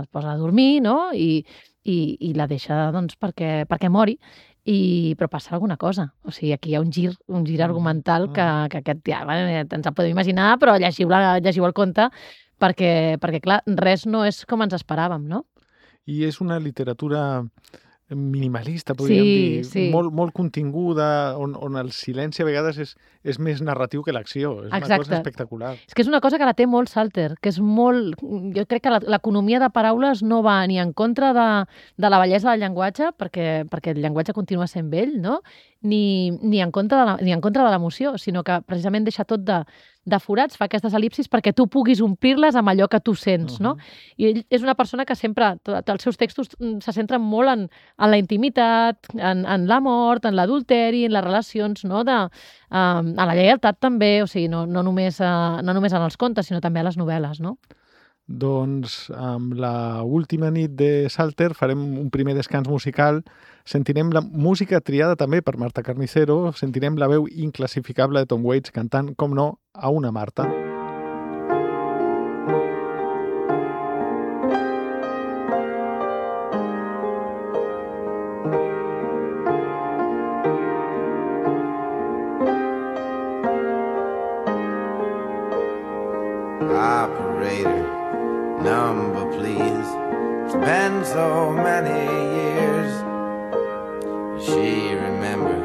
Speaker 3: es posa a dormir, no? I, i, i la deixa, doncs, perquè, perquè mori. I, però passa alguna cosa. O sigui, aquí hi ha un gir, un gir argumental que, que aquest, ja, bueno, ens el podem imaginar, però llegiu, la, llegiu el conte perquè, perquè, clar, res no és com ens esperàvem, no?
Speaker 1: I és una literatura minimalista, podríem
Speaker 3: sí,
Speaker 1: dir,
Speaker 3: sí.
Speaker 1: molt, molt continguda, on, on el silenci a vegades és, és més narratiu que l'acció. És
Speaker 3: Exacte.
Speaker 1: Una cosa espectacular.
Speaker 3: És que és una cosa que la té molt Salter, que és molt... Jo crec que l'economia de paraules no va ni en contra de, de la bellesa del llenguatge, perquè, perquè el llenguatge continua sent vell, no? Ni, ni en contra de la, ni en contra de l'emoció, sinó que precisament deixa tot de, de forats, fa aquestes el·lipsis perquè tu puguis omplir-les amb allò que tu sents, uh-huh. no? I ell és una persona que sempre, tots els seus textos se centren molt en, en la intimitat, en, en la mort, en l'adulteri, en les relacions, no? De, um, a la lleialtat també, o sigui, no, no, només, uh, no només en els contes, sinó també a les novel·les, no?
Speaker 1: Doncs amb la última nit de Salter farem un primer descans musical. Sentirem la música triada també per Marta Carnicero, sentirem la veu inclassificable de Tom Waits cantant, com no, a una Marta.
Speaker 4: Operator, number please. It's been so many years. She remember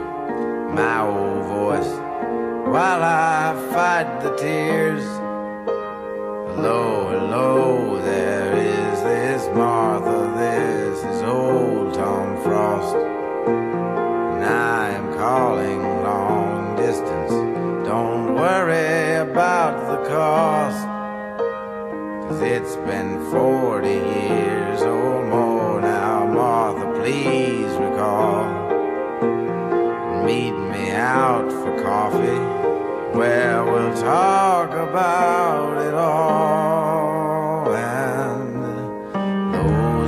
Speaker 4: my old voice while I fight the tears. Hello, hello, there is this Martha, this is old Tom Frost, and I am calling long distance. Don't worry about the cost, 'cause it's been forty years or more now. Martha, please recall, meet me out for coffee, where we'll talk about it all. And though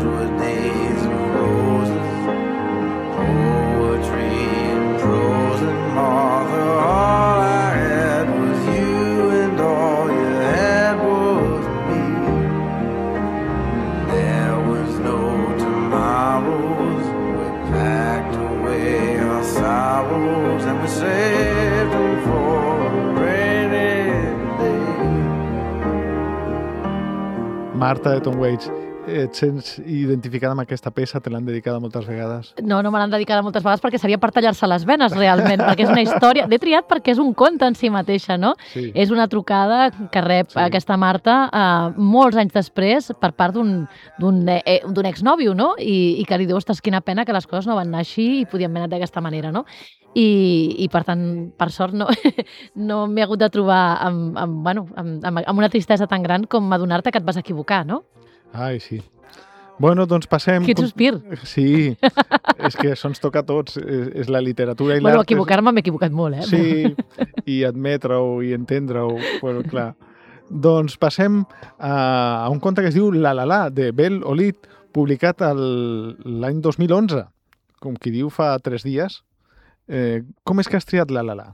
Speaker 1: Marta de Tom Waits, et sents identificada amb aquesta peça? Te l'han dedicada moltes vegades?
Speaker 3: No, no me l'han dedicada moltes vegades perquè seria per tallar-se les venes, realment, perquè és una història... L'he triat perquè és un conte en si mateixa, no?
Speaker 1: Sí.
Speaker 3: És una trucada que rep
Speaker 1: Sí.
Speaker 3: aquesta Marta eh, molts anys després per part d'un d'un eh, d'un exnòvio, no? I, I que li diu, ostres, quina pena que les coses no van anar així i podien haver anat d'aquesta manera, no? I, i per tant, per sort, no, no m'he hagut de trobar amb, amb, bueno, amb, amb, amb una tristesa tan gran com adonar-te que et vas equivocar, no?
Speaker 1: Ai, sí. Bueno, doncs passem...
Speaker 3: Quin sospir.
Speaker 1: Sí, és que això ens toca a tots. És, és la literatura i l'art...
Speaker 3: Bueno, equivocar-me m'he equivocat molt, eh?
Speaker 1: Sí, i admetre-ho i entendre-ho. Bueno, clar. Doncs passem a, a un conte que es diu La La La, de Bel Olid, publicat el- l'any dos mil onze. Com qui diu, fa tres dies. Eh, com és que has triat La La La?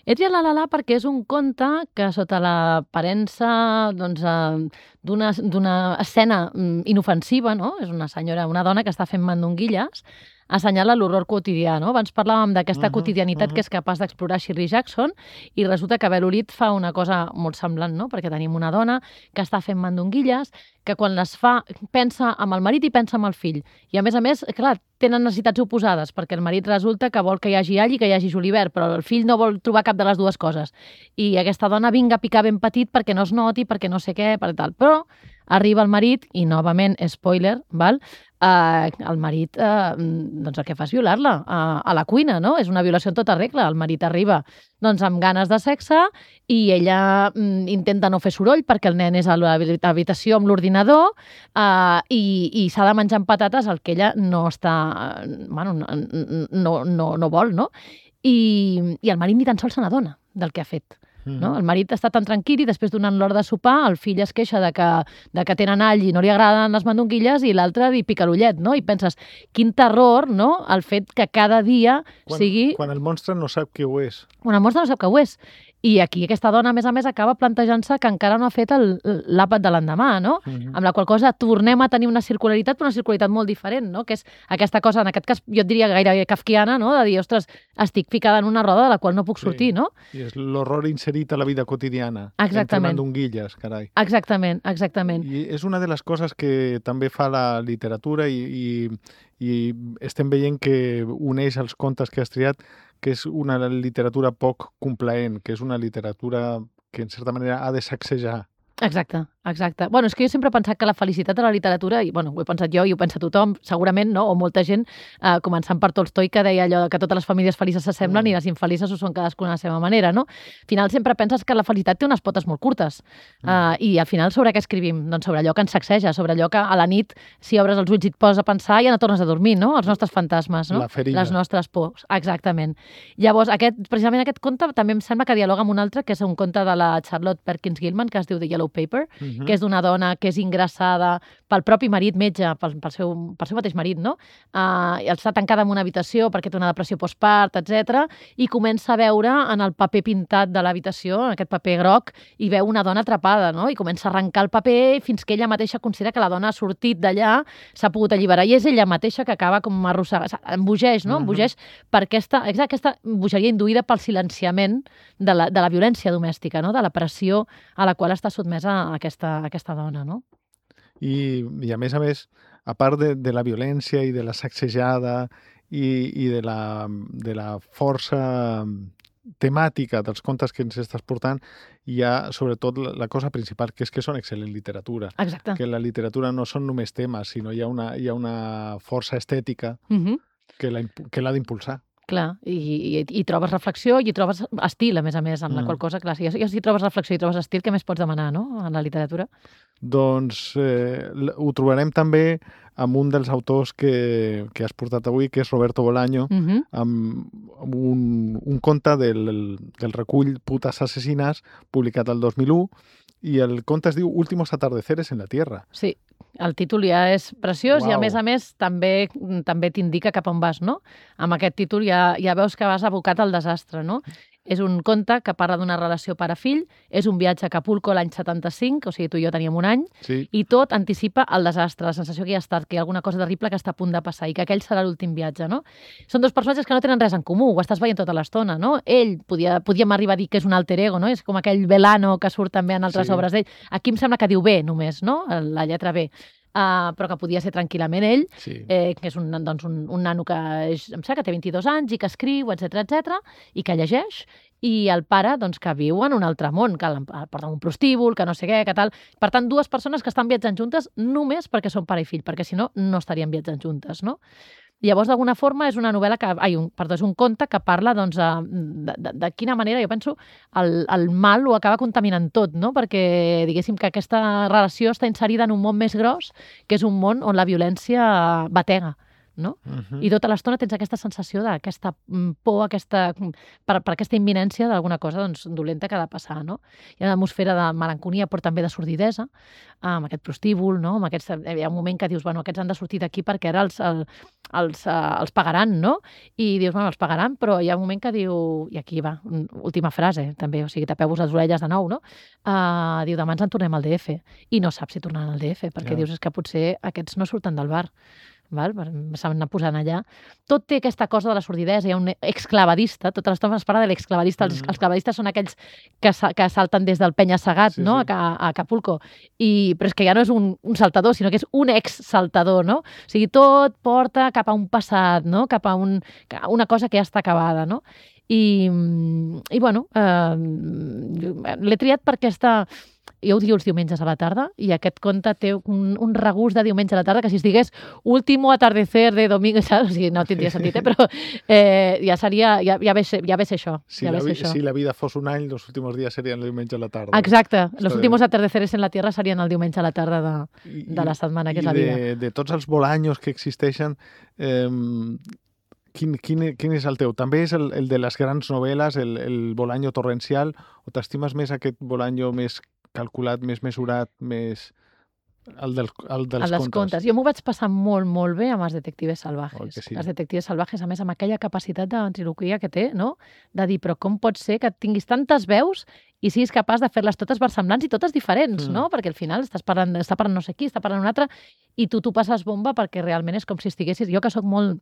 Speaker 3: He triat La La La perquè és un conte que sota l'aparença doncs, eh, d'una d'una escena mm, inofensiva, no? És una senyora, una dona que està fent mandonguilles, assenyala l'horror quotidià, no? Abans parlàvem d'aquesta
Speaker 1: Mhm,
Speaker 3: quotidianitat
Speaker 1: mhm.
Speaker 3: que és capaç d'explorar Shirley Jackson i resulta que Bel Olid fa una cosa molt semblant, no? Perquè tenim una dona que està fent mandonguilles, que quan les fa pensa amb el marit i pensa amb el fill. I a més a més, clar, tenen necessitats oposades, perquè el marit resulta que vol que hi hagi all i que hi hagi julivert, però el fill no vol trobar cap de les dues coses. I aquesta dona vinga a picar ben petit perquè no es noti, perquè no sé què, per tal. Però arriba el marit i, novament, spoiler, val? Eh, el marit eh, doncs el que fa és violar-la a, a la cuina, no? És una violació en tota regla. El marit arriba doncs, amb ganes de sexe i ella mm, intenta no fer soroll perquè el nen és a l'habitació amb l'ordinador eh, i, i s'ha de menjar amb patates el que ella no està... Bueno, no, no, no, no vol, no? I, i el marit ni tan sols se n'adona del que ha fet. No? El marit està tan tranquil i després donant l'hora de sopar el fill es queixa de que, de que tenen all i no li agraden les mandonguilles i l'altre li pica l'ullet, no? I penses, quin terror, no?, el fet que cada dia
Speaker 1: Quan,
Speaker 3: sigui...
Speaker 1: quan el monstre no sap què ho és.
Speaker 3: Una mostra no sap què ho és. I aquí aquesta dona, a més a més, acaba plantejant-se que encara no ha fet el- l'àpat de l'endemà, no?
Speaker 1: Mhm.
Speaker 3: Amb la qual cosa tornem a tenir una circularitat, però una circularitat molt diferent, no? Que és aquesta cosa, en aquest cas, jo et diria gairebé kafkiana, no? De dir, ostres, estic ficada en una roda de la qual no puc
Speaker 1: Sí.
Speaker 3: sortir, no?
Speaker 1: I és l'horror inserit a la vida quotidiana.
Speaker 3: Exactament.
Speaker 1: Entre mandonguilles, carai.
Speaker 3: Exactament, exactament.
Speaker 1: I és una de les coses que també fa la literatura i, i, i estem veient que uneix els contes que has triat, que és una literatura poc complaent, que és una literatura que en certa manera ha de sacsejar.
Speaker 3: Exacte, exacte. Bueno, és que jo sempre he pensat que la felicitat de la literatura, i bueno, ho he pensat jo i ho pensa tothom, segurament, no? O molta gent, eh, començant per Tolstoi, que deia allò que totes les famílies felices s'assemblen
Speaker 1: Mm.
Speaker 3: i les infelices ho són cadascuna a la seva manera, no? Al final sempre penses que la felicitat té unes potes molt curtes. Eh, I al final sobre què escrivim? Doncs sobre allò que ens sacseja, sobre allò que a la nit, si obres els ulls i et poses a pensar, ja no tornes a dormir, no? Els nostres fantasmes, no?
Speaker 1: La ferida.
Speaker 3: Les nostres pors. Exactament. Llavors, aquest, precisament aquest conte també em sembla que dialoga amb un altre, que és un conte de la Charlotte Perkins Gilman, que es diu The Yellow Paper,
Speaker 1: Mhm.
Speaker 3: que és d'una dona que és ingressada pel propi marit metge, pel, pel, seu, pel seu mateix marit, no? Uh, està tancada en una habitació perquè té una depressió postpart, etcètera, i comença a veure en el paper pintat de l'habitació, en aquest paper groc, i veu una dona atrapada, no? I comença a arrencar el paper fins que ella mateixa considera que la dona ha sortit d'allà, s'ha pogut alliberar, i és ella mateixa que acaba com arrossegant, embogeix, no?
Speaker 1: Mhm.
Speaker 3: Embogeix per aquesta, exacte, aquesta bogeria induïda pel silenciament de la, de la violència domèstica, no? De la pressió a la qual està sotmesa aquesta, aquesta dona, no?
Speaker 1: I, I a més a més, a part de, de la violència i de la sacsejada i, i de, la, de la força temàtica dels contes que ens estàs portant, hi ha sobretot la, la cosa principal, que és que són excel·lent literatura.
Speaker 3: Exacte.
Speaker 1: Que la literatura no són només temes, sinó hi ha una, hi ha una força estètica
Speaker 3: Mhm.
Speaker 1: que la impu- que l'ha d'impulsar.
Speaker 3: Clar, i, i, i trobes reflexió i hi trobes estil, a més a més, amb la
Speaker 1: Mm.
Speaker 3: qual cosa, clar, si, si hi trobes reflexió i trobes estil, què més pots demanar, no?, en la literatura?
Speaker 1: Doncs eh, l- ho trobarem també amb un dels autors que, que has portat avui, que és Roberto Bolaño,
Speaker 3: Mhm.
Speaker 1: amb amb un, un conte del, del recull Putes asesines, publicat el dos mil u, i el conte es diu Últimos atardeceres en la Tierra.
Speaker 3: Sí, el títol ja és preciós i, a
Speaker 1: Uau.
Speaker 3: més a més, també també t'indica cap on vas, no? Amb aquest títol ja, ja veus que vas abocat al desastre, no? És un conte que parla d'una relació pare-fill, és un viatge a Acapulco l'any setanta-cinc, o sigui, tu i jo teníem un any,
Speaker 1: Sí.
Speaker 3: i tot anticipa el desastre, la sensació que hi ha estat, que hi ha alguna cosa terrible que està a punt de passar i que aquell serà l'últim viatge, no? Són dos personatges que no tenen res en comú, ho estàs veient tota l'estona, no? Ell, podia, podíem arribar a dir que és un alter ego, no? És com aquell Velano que surt també en altres
Speaker 1: Sí.
Speaker 3: obres d'ell. Aquí em sembla que diu B només, no? La lletra B. Uh, però que podia ser tranquil·lament ell,
Speaker 1: Sí.
Speaker 3: eh, que és un, doncs, un, un nano que és, em sembla que té vint-i-dos anys i que escriu, etcètera, etcètera, i que llegeix, i el pare doncs, que viu en un altre món, que el porta un prostíbul, que no sé què, que tal. Per tant, dues persones que estan viatjant juntes només perquè són pare i fill, perquè si no, no estarien viatjant juntes, no? Llavors, d'alguna forma, és una novel·la que... Ai, un, perdó, és un conte que parla, doncs, de, de, de quina manera, jo penso, el, el mal ho acaba contaminant tot, no? Perquè, diguéssim, que aquesta relació està inserida en un món més gros, que és un món on la violència batega, no?
Speaker 1: Uh-huh.
Speaker 3: I tota l'estona tens aquesta sensació d'aquesta por, aquesta, per, per aquesta imminència d'alguna cosa doncs, dolenta que ha de passar, no? Hi ha una atmosfera de melancolia, però també de sordidesa, amb aquest prostíbul, no? Amb aquest, hi ha un moment que dius, bueno, aquests han de sortir d'aquí perquè ara els, el, els, uh, els pagaran, no? I dius, bueno, els pagaran, però hi ha un moment que diu, i aquí va, última frase, també, o sigui, tapeu-vos les orelles de nou, no? Uh, diu, demà ens en tornem al D F, i no saps si tornaran al D F, perquè
Speaker 1: Ja.
Speaker 3: dius, és que potser aquests no surten del bar. Val? S'han anat posant allà. Tot té aquesta cosa de la sordidesa. Hi ha un exclavadista, tota l'estona es parla de l'exclavadista. Els,
Speaker 1: Mhm.
Speaker 3: els clavadistes són aquells que, sa, que salten des del penya-segat,
Speaker 1: Sí,
Speaker 3: no?
Speaker 1: sí.
Speaker 3: A, a Acapulco. I, però és que ja no és un, un saltador, sinó que és un ex-saltador, no? O sigui, tot porta cap a un passat, no? Cap a un, a una cosa que ja està acabada, no? I, i bueno, eh, l'he triat perquè està... Jo ho diu els diumenges a la tarda i aquest conte té un, un regust de diumenge a la tarda que si es digués último atardecer de domingo, saps? O sigui, no tindria sentit, eh? Però eh, ja seria, ja, ja, ve ser, ja ve ser això.
Speaker 1: Si,
Speaker 3: ja
Speaker 1: la,
Speaker 3: ve ser
Speaker 1: vi-
Speaker 3: això.
Speaker 1: si la vida fos un any, los últimos días serían el diumenge a la tarda.
Speaker 3: Exacte. Los
Speaker 1: Està
Speaker 3: últimos
Speaker 1: bé.
Speaker 3: atardeceres en la Tierra serien el diumenge a la tarda de,
Speaker 1: I-
Speaker 3: de la setmana, que
Speaker 1: i
Speaker 3: és la vida.
Speaker 1: de, de tots els bolanyos que existeixen, eh, quin, quin, quin és el teu? També és el, el de les grans novel·les, el, el bolanyo torrencial, o t'estimes més aquest bolanyo més calculat, més mesurat, més... el, del, el dels
Speaker 3: El dels
Speaker 1: contes?
Speaker 3: contes. Jo m'ho vaig passar molt, molt bé amb els detectives
Speaker 1: Oi
Speaker 3: salvajes.
Speaker 1: que sí?
Speaker 3: Els detectives salvajes, a més, amb aquella capacitat de ventriloquia que té, no? De dir, però com pot ser que tinguis tantes veus i siguis capaç de fer-les totes versemblants i totes diferents,
Speaker 1: Mm.
Speaker 3: no? Perquè al final estàs parlant, està parlant no sé qui, està parlant un altre, i tu t'ho passes bomba perquè realment és com si estiguessis... Jo que sóc molt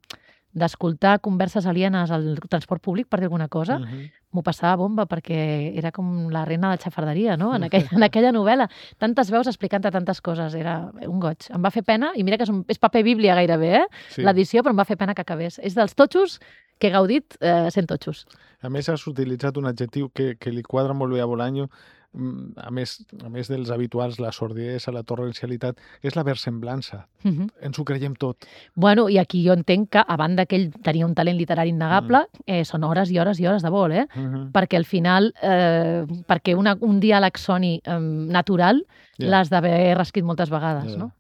Speaker 3: d'escoltar converses alienes al transport públic, per dir alguna cosa,
Speaker 1: Mhm.
Speaker 3: m'ho passava bomba perquè era com la reina de la xafarderia, no? En aquella, en aquella novel·la. Tantes veus explicant-te tantes coses. Era un goig. Em va fer pena, i mira que és, un, és paper bíblia gairebé, eh?
Speaker 1: Sí.
Speaker 3: L'edició, però em va fer pena que acabés. És dels totxos que he gaudit eh, sent totxos.
Speaker 1: A més, has utilitzat un adjectiu que, que li quadra molt bé a Bolaño, mm, a més, a més dels habituals, la sordidesa, la torrencialitat, és la versemblança.
Speaker 3: Uh -huh.
Speaker 1: Ens ho creiem tot.
Speaker 3: Bueno, i aquí jo entenc que, a banda que ell tenia un talent literari innegable,
Speaker 1: Mm.
Speaker 3: eh, són hores i hores i hores de vol, eh?
Speaker 1: Mhm.
Speaker 3: Perquè al final, eh, perquè una, un diàleg soni eh, natural,
Speaker 1: Ja.
Speaker 3: l'has d'haver reescrit moltes vegades,
Speaker 1: Ja.
Speaker 3: no?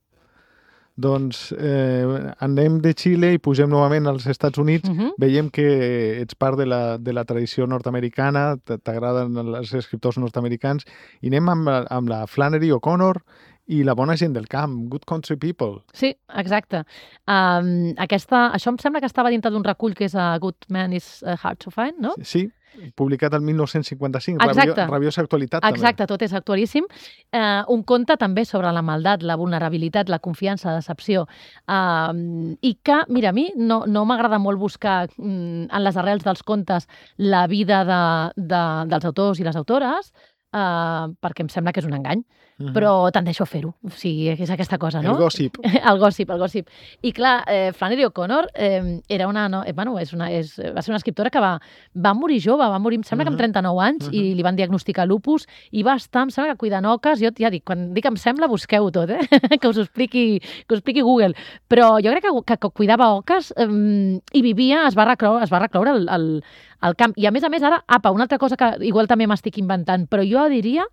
Speaker 1: Doncs eh, anem de Xile i pugem novament als Estats Units.
Speaker 3: Uh -huh.
Speaker 1: Veiem que ets part de la, de la tradició nord-americana, t- t'agraden els escriptors nord-americans, i anem amb, la- amb la Flannery O'Connor i la bona gent del camp, Good Country People.
Speaker 3: Sí, exacte. Um, aquesta, això em sembla que estava dintre d'un recull que és a Good Man is uh, Hard to Find, no?
Speaker 1: Sí, publicat el mil nou-cents cinquanta-cinc,
Speaker 3: Exacte.
Speaker 1: rabio, rabiosa actualitat
Speaker 3: Exacte, tot és actualíssim. Uh, un conte també sobre la maldat, la vulnerabilitat, la confiança, la decepció. Uh, I que, mira, a mi no, no m'agrada molt buscar mm, en les arrels dels contes la vida de, de, dels autors i les autores, uh, perquè em sembla que és un engany,
Speaker 1: també.
Speaker 3: però tendeixo a fer-ho. O sigui, és aquesta cosa, no?
Speaker 1: El gossip.
Speaker 3: El gossip, el gossip. I clar, eh, Flannery O'Connor eh, era una, no, eh, bueno, és una, és, va ser una escriptora que va, va morir jove, va morir, em sembla que amb
Speaker 1: Mhm.
Speaker 3: trenta-nou anys,
Speaker 1: Mhm.
Speaker 3: i li van diagnosticar lupus, i va estar, em sembla que cuidant oques, jo ja dic, quan dic em sembla, busqueu tot, eh? que us ho expliqui, que us expliqui Google. Però jo crec que, que, que cuidava oques eh, i vivia, es va recloure, es va recloure al, al, al camp. I a més a més, ara, apa, una altra cosa que igual també m'estic inventant, però jo diria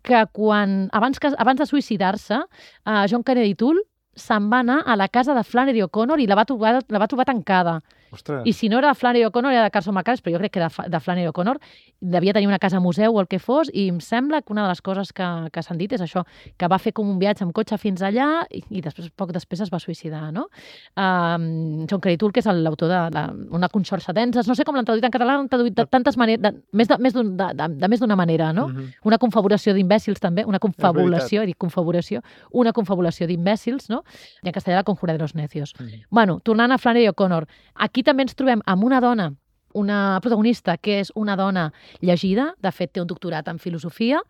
Speaker 3: que quan, abans, que, abans de suïcidar-se, uh, John Kennedy Toole se'n va anar a la casa de Flannery O'Connor i la va trobar, la va trobar tancada.
Speaker 1: Ostres.
Speaker 3: I si no era Flannery O'Connor, era de Carson McCullers, però jo crec que era de Flannery O'Connor, devia tenir una casa museu o el que fos, i em sembla que una de les coses que, que s'han dit és això, que va fer com un viatge amb cotxe fins allà i, i després, poc després es va suïcidar, no? Um, John Craytool, que és l'autor de, de Una conxorxa denses, no sé com l'han traduït en català, l'han traduït de tantes maneres, de, més de, més d'un, de, de, de més d'una manera, no?
Speaker 1: Mhm.
Speaker 3: Una confabulació d'imbècils també, una confabulació, he dit confabulació, una confabulació d'imbècils, no? I en castellà la conjura de los necios.
Speaker 1: Mhm.
Speaker 3: Bueno, tornant a Flannery O'Connor, aquí també ens trobem amb una dona, una protagonista que és una dona llegida, de fet té un doctorat en filosofia,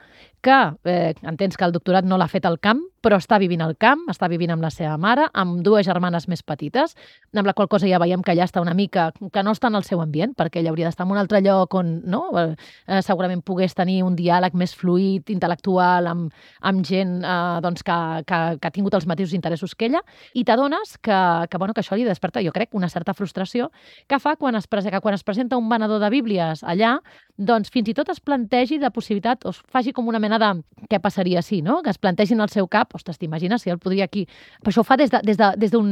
Speaker 3: que eh, entens que el doctorat no l'ha fet al camp, però està vivint al camp, està vivint amb la seva mare, amb dues germanes més petites, amb la qual cosa ja veiem que allà està una mica, que no està en el seu ambient, perquè ella hauria d'estar en un altre lloc on no, eh, segurament pogués tenir un diàleg més fluid, intel·lectual, amb, amb gent eh, doncs que, que, que ha tingut els mateixos interessos que ella, i t'adones que, que, bueno, que això li desperta, jo crec, una certa frustració que fa quan es, que quan es presenta un venedor de bíblies allà, doncs fins i tot es plantegi la possibilitat, o es faci com una mena de què passaria si, no? Que es plantegin al seu cap, ostres, t'imagines si ell podria aquí... Però això ho fa des d'un de, des de,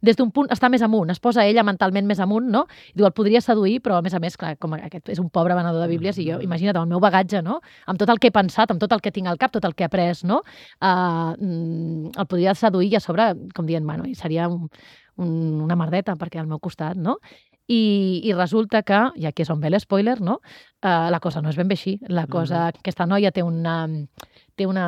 Speaker 3: des d'un punt, està més amunt, es posa ella mentalment més amunt, no? I diu, el podria seduir, però a més a més, clar, com aquest és un pobre venedor de bíblies, i jo, imagina't, amb el meu bagatge, no? Amb tot el que he pensat, amb tot el que tinc al cap, tot el que he après, no? Uh, el podria seduir i a sobre, com dient, bueno, seria un, un, una merdeta, perquè al meu costat, no? I, i resulta que, i aquí és on ve l'espoiler, no? Uh, la cosa no és ben bé així. La cosa, mm-hmm. Aquesta noia té una, té, una,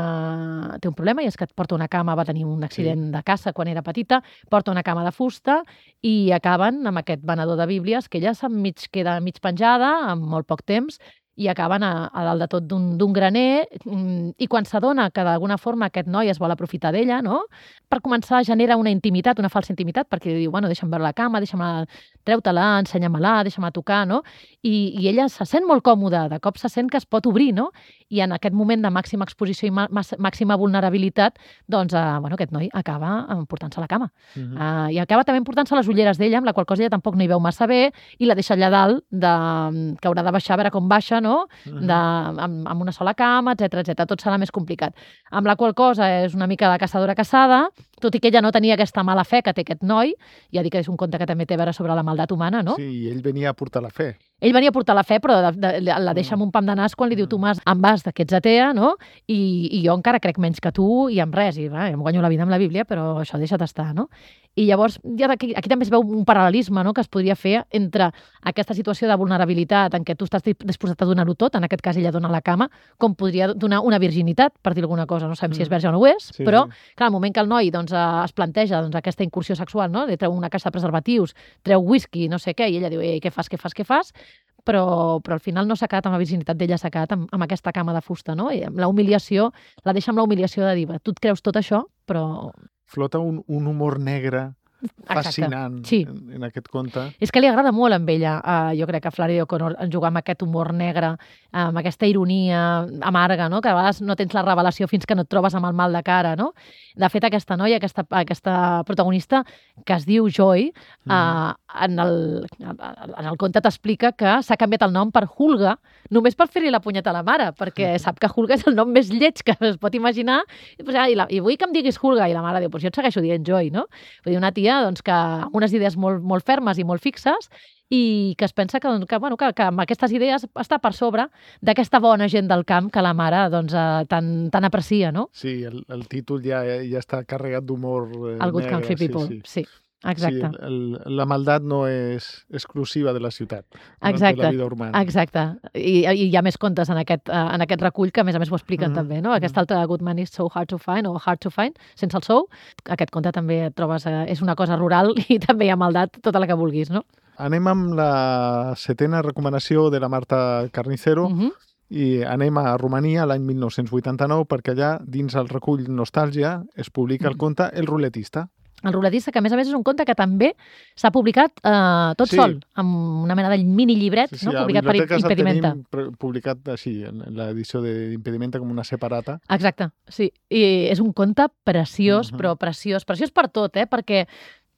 Speaker 3: té un problema i és que et porta una cama, va tenir un accident sí. de caça quan era petita, porta una cama de fusta i acaben amb aquest venedor de bíblies que ella se'n mig, queda mig penjada en molt poc temps i acaben a, a dalt de tot d'un graner i quan s'adona que d'alguna forma aquest noi es vol aprofitar d'ella, no? Per començar genera una intimitat, una falsa intimitat, perquè diu, bueno, deixa'm veure la cama, deixa'm treu-te-la, ensenya-me-la, deixa'm tocar, no? I, I ella se sent molt còmoda, de cop se sent que es pot obrir, no? I en aquest moment de màxima exposició i màxima vulnerabilitat, doncs, uh, bueno, aquest noi acaba portant-se a la cama. Uh-huh. uh, I acaba també portant-se les ulleres d'ella, amb la qual cosa ella tampoc no hi veu massa bé, i la deixa allà dalt, de, que haurà de baixar a veure com baixa, no? Uh-huh. de, amb, amb una sola cama, etcètera etcètera. Tot serà més complicat. Amb la qual cosa és una mica de caçadora caçada, tot i que ella no tenia aquesta mala fe que té aquest noi, ja dic que és un conte que també té a veure sobre la maldat humana, no?
Speaker 1: Sí, i ell venia a portar la fe.
Speaker 3: Ell venia a portar la fe, però de, de, de, la deixa amb un pam de nas quan li diu, Tomàs, em vas que ets atea, no? I, I jo encara crec menys que tu i amb res, i va, em guanyo la vida amb la Bíblia, però això deixa't estar, no? I llavors, ja aquí, aquí també es veu un paral·lelisme, no?, que es podria fer entre aquesta situació de vulnerabilitat en què tu estàs disposat a donar-ho tot, en aquest cas ella dona la cama, com podria donar una virginitat, per dir alguna cosa, no sabem mm. si és verge o no ho és, sí, però, sí. clar, al moment que el noi doncs, es planteja doncs, aquesta incursió sexual, no?, li treu una caixa de preservatius, treu whisky, no sé què, i ella diu, ei, què fas, què fas, què fas? Però, però al final no s'ha quedat amb la virginitat d'ella, s'ha quedat amb, amb aquesta cama de fusta, no? I amb la humiliació, la deixa amb la humiliació de dir, tu et creus tot això, però...
Speaker 1: Flota un, un humor negre fascinant
Speaker 3: sí.
Speaker 1: en, en aquest conte.
Speaker 3: És que li agrada molt amb ella, uh, jo crec que Flannery O'Connor jugar amb aquest humor negre, amb aquesta ironia amarga, no? Que a vegades no tens la revelació fins que no et trobes amb el mal de cara, no? De fet, aquesta noia, aquesta, aquesta protagonista, que es diu Joy, mm. uh, en, el, en el conte t'explica que s'ha canviat el nom per Hulga, només per fer-li la punyeta a la mare, perquè mm. sap que Hulga és el nom més lleig que es pot imaginar, i, pues, i, la, i vull que em diguis Hulga, i la mare diu, pues jo et segueixo dient Joy, no? Vull dir, una tia doncs, que amb unes idees molt, molt fermes i molt fixes i que es pensa que, que, bueno, que, que amb aquestes idees està per sobre d'aquesta bona gent del camp que la mare doncs, eh, tan, tan aprecia, no?
Speaker 1: Sí, el, el títol ja, ja està carregat d'humor eh,
Speaker 3: el Good
Speaker 1: negre.
Speaker 3: Country People, sí. sí. Exacte.
Speaker 1: Sí, el, la maldat no és exclusiva de la ciutat,
Speaker 3: exacte,
Speaker 1: de la vida urbana.
Speaker 3: Exacte. I, I hi ha més contes en aquest, en aquest recull que a més a més ho expliquen mm -hmm. també, no? Aquest altre Good Man is so hard to find o hard to find, sense el sou. Aquest conte també et trobes, eh, és una cosa rural i també hi ha maldat tota la que vulguis, no?
Speaker 1: Anem amb la setena recomanació de la Marta Carnicero, mm -hmm. i anem a Romania l'any mil nou-cents vuitanta-nou perquè allà, dins el recull Nostàlgia, es publica el conte El ruletista.
Speaker 3: El ruletista, que a més a més és un conte que també s'ha publicat eh, tot sí. sol, amb una mena de mini llibret, sí, sí, no? Publicat per Impedimenta.
Speaker 1: Tenim publicat així, en l'edició d'Impedimenta, com una separata.
Speaker 3: Exacte, sí. I és un conte preciós, uh -huh. però preciós. Preciós per tot, eh? Perquè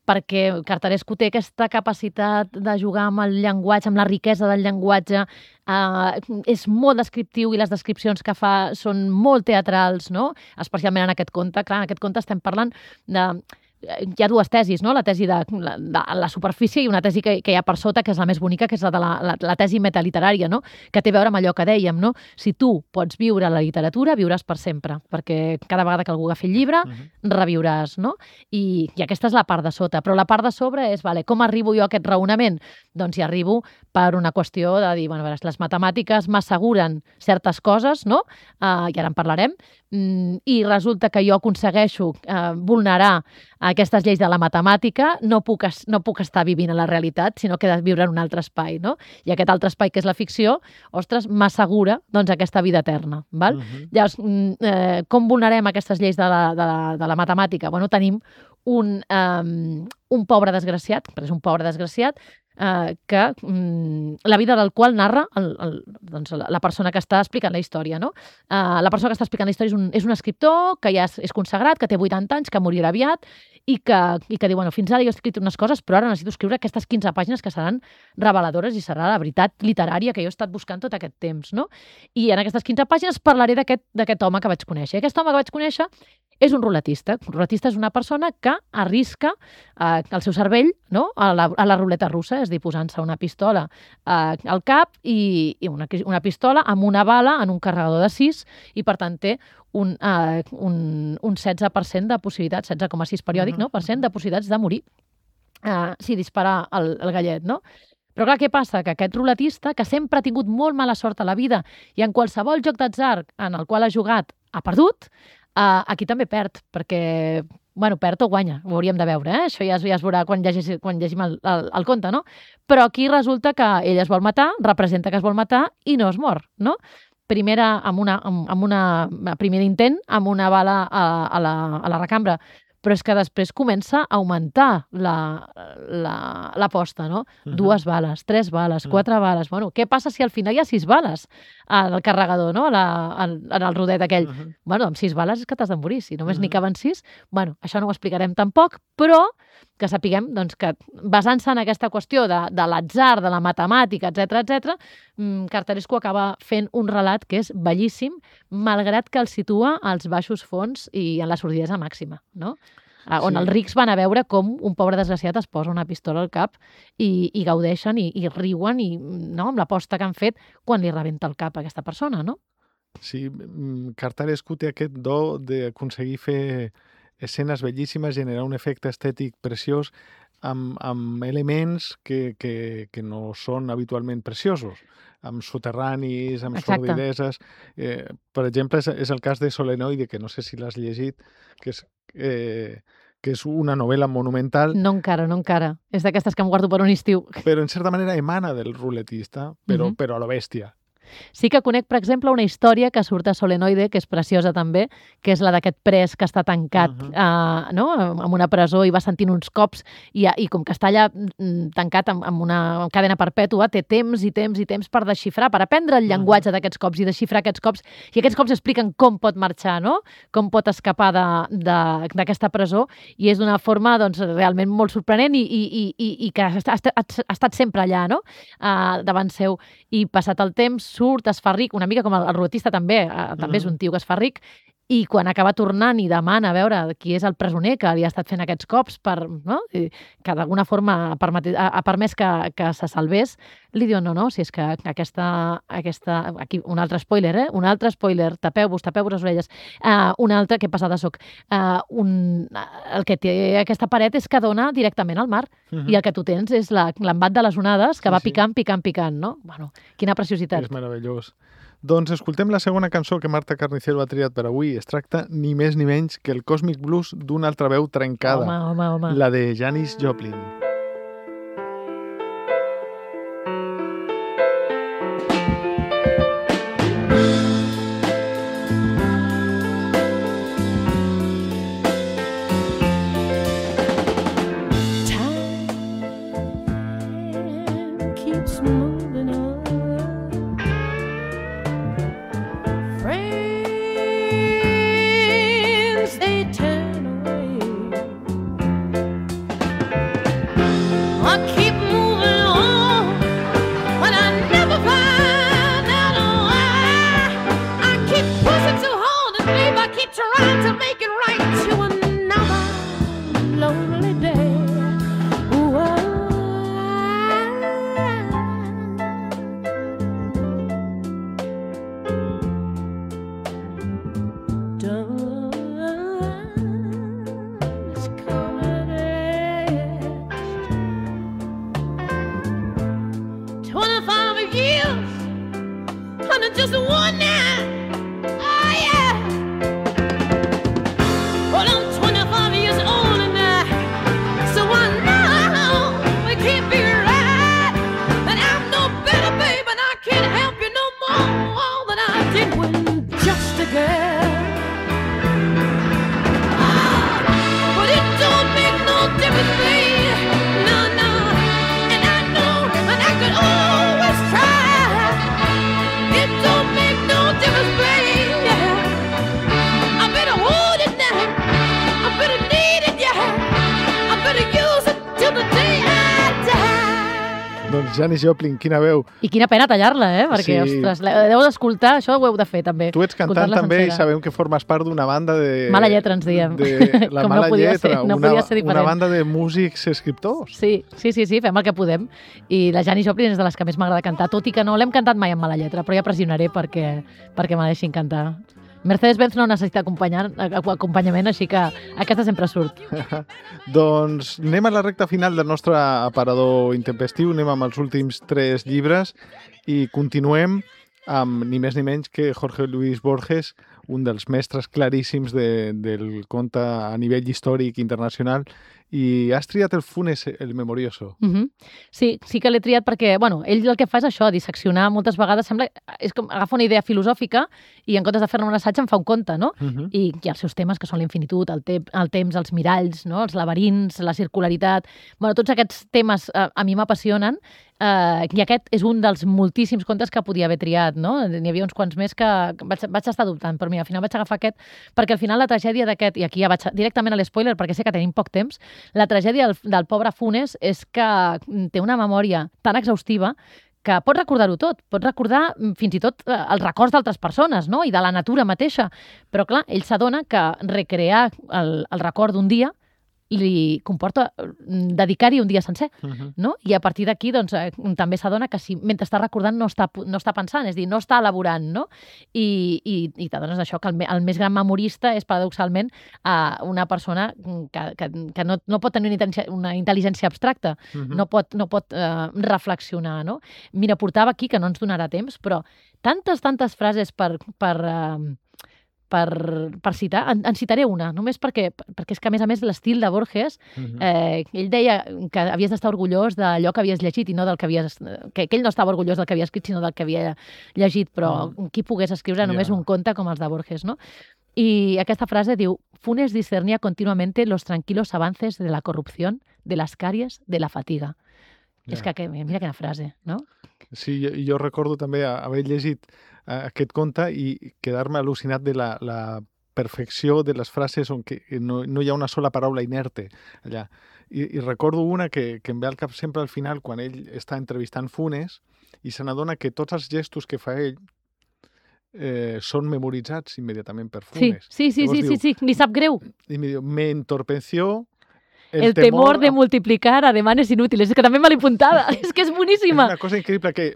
Speaker 3: perquè Cartarescu té aquesta capacitat de jugar amb el llenguatge, amb la riquesa del llenguatge, eh, és molt descriptiu i les descripcions que fa són molt teatrals, no? Especialment en aquest conte. Clar, en aquest conte estem parlant de hi ha dues tesis, no? La tesi de la, de la superfície i una tesi que, que hi ha per sota, que és la més bonica, que és la de la, la, la tesi metaliterària, no? Que té a veure amb allò que dèiem, no? Si tu pots viure la literatura, viuràs per sempre, perquè cada vegada que algú agafi el llibre, uh-huh. reviuràs, no? I, I aquesta és la part de sota, però la part de sobre és, vale, com arribo jo a aquest raonament? Doncs hi arribo per una qüestió de dir, bueno, a veure, les matemàtiques m'asseguren certes coses, no? Uh, I ara en parlarem, mm, i resulta que jo aconsegueixo uh, vulnerar aquestes lleis de la matemàtica, no puc, es, no puc estar vivint a la realitat, sinó que he de viure en un altre espai, no? I aquest altre espai, que és la ficció, ostres, m'assegura, doncs, aquesta vida eterna, val? Uh-huh. Llavors, eh, com vulnerem aquestes lleis de la, de la, de la matemàtica? Bueno, tenim un, um, un pobre desgraciat, però és un pobre desgraciat, eh, que mm, la vida del qual narra el, el, doncs, la, la persona que està explicant la història, no? Eh, la persona que està explicant la història és un, és un escriptor que ja és, és consagrat, que té vuitanta anys, que morirà aviat, i que, i que diu, bueno, fins ara jo he escrit unes coses, però ara necessito escriure aquestes quinze pàgines que seran reveladores i serà la veritat literària que jo he estat buscant tot aquest temps, no? I en aquestes quinze pàgines parlaré d'aquest home que vaig conèixer. Aquest home que vaig conèixer és un ruletista. Un ruletista és una persona que arrisca eh, el seu cervell, no? a, la, a la ruleta russa, és a dir, posant-se una pistola eh, al cap i, i una, una pistola amb una bala en un carregador de sis, i per tant té un, uh, un, un setze per cent de possibilitats, setze coma sis periòdic, no? per cent de possibilitats de morir uh, si dispara el, el gallet, no? Però clar, què passa? Que aquest ruletista, que sempre ha tingut molt mala sort a la vida i en qualsevol joc d'atzar en el qual ha jugat ha perdut, uh, aquí també perd, perquè, bueno, perd o guanya, ho hauríem de veure, eh? Això ja es, ja es veurà quan, llegis, quan llegim el, el, el conte, no? Però aquí resulta que ell es vol matar, representa que es vol matar i no es mor, no? Primera, amb, una, amb, amb una primer intent, amb una bala a, a, la, a la recambra, però és que després comença a augmentar l'aposta, no? Uh-huh. Dues bales, tres bales, uh-huh. quatre bales... Bueno, què passa si al final hi ha sis bales al carregador, no? La, en, en el rodet aquell? Uh-huh. Bueno, amb sis bales és que t'has de morir. Si només uh-huh. n'hi caben sis, bueno, això no ho explicarem tampoc, però que sapiguem doncs, que basant-se en aquesta qüestió de, de l'atzar, de la matemàtica, etcètera, etcètera, Cartarescu acaba fent un relat que és bellíssim, malgrat que el situa als baixos fons i en la sordidesa màxima, no? On sí. els rics van a veure com un pobre desgraciat es posa una pistola al cap i, i gaudeixen i, i riuen i, no, amb l'aposta que han fet quan li rebenta el cap a aquesta persona, no?
Speaker 1: Sí, Cartarescu té aquest do d'aconseguir fer escenes bellíssimes, generar un efecte estètic preciós amb, amb elements que, que, que no són habitualment preciosos, amb soterranis, amb
Speaker 3: Exacte.
Speaker 1: sordideses. Eh, per exemple, és, és el cas de Solenoide, que no sé si l'has llegit, que és, eh, que és una novel·la monumental.
Speaker 3: No encara, no encara. És d'aquestes que em guardo per un estiu.
Speaker 1: Però, en certa manera, emana del ruletista, però, uh-huh. però a la bèstia.
Speaker 3: Sí que conec, per exemple, una història que surt a Solenoide, que és preciosa també, que és la d'aquest pres que està tancat uh-huh. uh, no? en una presó i va sentint uns cops i, i com que està allà tancat amb, amb una cadena perpètua, té temps i temps i temps per desxifrar, per aprendre el llenguatge uh-huh. d'aquests cops i desxifrar aquests cops, i aquests cops expliquen com pot marxar, no? Com pot escapar d'aquesta presó, i és d'una forma doncs, realment molt sorprenent i, i, i, i que ha estat, ha estat sempre allà, no? uh, davant seu, i passat el temps surt, es fa ric, una mica com el, el ruletista també, eh, també és un tio que es fa ric, i quan acaba tornant i demana a veure qui és el presoner que li ha estat fent aquests cops, per, no? I que d'alguna forma ha, permet, ha, ha permès que, que se salvés, li diu, no, no, si és que aquesta... aquesta aquí, un altre spoiler, eh? Un altre spoiler, tapeu-vos, tapeu-vos les orelles. Uh, un altre, que passada soc. Uh, un, el que té aquesta paret és que dona directament al mar, uh-huh. i el que tu tens és l'embat de les onades que sí, va picant, picant, picant, no? Bueno, quina preciositat.
Speaker 1: És meravellós. Doncs escoltem la segona cançó que Marta Carnicero ha triat per avui. Es tracta ni més ni menys que el Cosmic Blues d'una altra veu trencada.
Speaker 3: Home, home, home.
Speaker 1: La de Janis Joplin.
Speaker 3: was just one night. Oh, yeah. Well, I'm twenty-five years old now, so I know it can't be right. And I'm no better, babe, and I can't help you no more than I did when just a girl. But it don't make no difference, babe. No, no. And I know, and I could always try. It don't make no difference, babe. I better hold it now. I better need it, yeah. I better use it till the day I die.
Speaker 1: Doncs Janis Joplin, quina veu.
Speaker 3: I quina pena tallar-la, eh? Perquè,
Speaker 1: Sí.
Speaker 3: ostres, la- heu d'escoltar, això ho heu de fer, també.
Speaker 1: Tu ets cantant
Speaker 3: Escoltar-la
Speaker 1: també i
Speaker 3: sencera.
Speaker 1: sabem que formes part d'una banda de...
Speaker 3: Mala lletra, ens diem.
Speaker 1: De la
Speaker 3: Com no
Speaker 1: mala
Speaker 3: podia
Speaker 1: lletra,
Speaker 3: ser, no
Speaker 1: una,
Speaker 3: podia ser
Speaker 1: una
Speaker 3: diferent.
Speaker 1: banda de músics escriptors.
Speaker 3: Sí, sí, sí, sí, fem el que podem. I la Janis Joplin és de les que més m'agrada cantar, tot i que no l'hem cantat mai amb mala lletra, però ja pressionaré perquè, perquè me la deixin cantar. Mercedes-Benz no necessita acompanyar, acompanyament, així que aquesta sempre surt.
Speaker 1: Doncs anem a la recta final del nostre aparador intempestiu, anem amb els últims tres llibres i continuem amb ni més ni menys que Jorge Luis Borges, un dels mestres claríssims de, del conte a nivell històric internacional, i has triat el Funes, el Memorioso.
Speaker 3: Uh -huh. Sí, sí que l'he triat perquè, bueno, ell el que fa és això, disseccionar moltes vegades, sembla, és com agafa una idea filosòfica i en comptes de fer-ne un assaig en fa un conte, no?
Speaker 1: Uh -huh.
Speaker 3: I, i els seus temes, que són l'infinitud, el, te el temps, els miralls, no? Els laberints, la circularitat... Bueno, tots aquests temes eh, a mi m'apassionen, eh, i aquest és un dels moltíssims contes que podia haver triat, no? N'hi havia uns quants més que vaig, vaig estar dubtant, però mira, al final vaig agafar aquest, perquè al final la tragèdia d'aquest, i aquí ja vaig directament a l'espoiler, perquè sé que tenim poc temps, la tragèdia del, del pobre Funes és que té una memòria tan exhaustiva que pot recordar-ho tot, pot recordar fins i tot eh, els records d'altres persones, no? I de la natura mateixa. Però, clar, ell s'adona que recrear el, el record d'un dia li comporta dedicar-hi un dia sencer,
Speaker 1: Uh -huh.
Speaker 3: no? I a partir d'aquí, doncs, eh, també s'adona que si mentre està recordant no està, no està pensant, és a dir, no està elaborant, no? I, i, i t'adones d'això, que el, me- el més gran memorista és, paradoxalment, eh, una persona que, que, que no, no pot tenir una intel·ligència, una intel·ligència abstracta,
Speaker 1: Uh -huh.
Speaker 3: no pot, no pot eh, reflexionar, no? Mira, portava aquí, que no ens donarà temps, però tantes, tantes frases per, per, eh, per, per citar. En, en citaré una, només perquè, perquè és que, a més a més, l'estil de Borges,
Speaker 1: Uh -huh.
Speaker 3: eh, ell deia que havies d'estar orgullós d'allò que havies llegit i no del que havies... Que, que ell no estava orgullós del que havia escrit, sinó del que havia llegit, però
Speaker 1: Mm.
Speaker 3: qui pogués escriure només
Speaker 1: Ja.
Speaker 3: un conte com els de Borges, no? Y aquesta frase diu: Funes discernía continuamente los tranquilos avances de la corrupción, de las caries, de la fatiga.
Speaker 1: Ja.
Speaker 3: És que, que, mira quina frase, no?
Speaker 1: Sí, jo, jo recordo també haver llegit uh, aquest conte i quedar-me al·lucinat de la, la perfecció de les frases on que no, no hi ha una sola paraula inerte allà. I, i recordo una que, que em ve al cap sempre al final, quan ell està entrevistant Funes i se n'adona que tots els gestos que fa ell eh, són memoritzats immediatament per
Speaker 3: Sí,
Speaker 1: Funes.
Speaker 3: sí, sí,
Speaker 1: Llavors
Speaker 3: sí, sí,
Speaker 1: diu,
Speaker 3: sí, li sap greu.
Speaker 1: I me diu, me entorpeció el,
Speaker 3: El, temor de
Speaker 1: a-
Speaker 3: multiplicar ademanes inútiles. És que també me l'he apuntada. És que és
Speaker 1: És
Speaker 3: boníssima.
Speaker 1: una cosa increïble que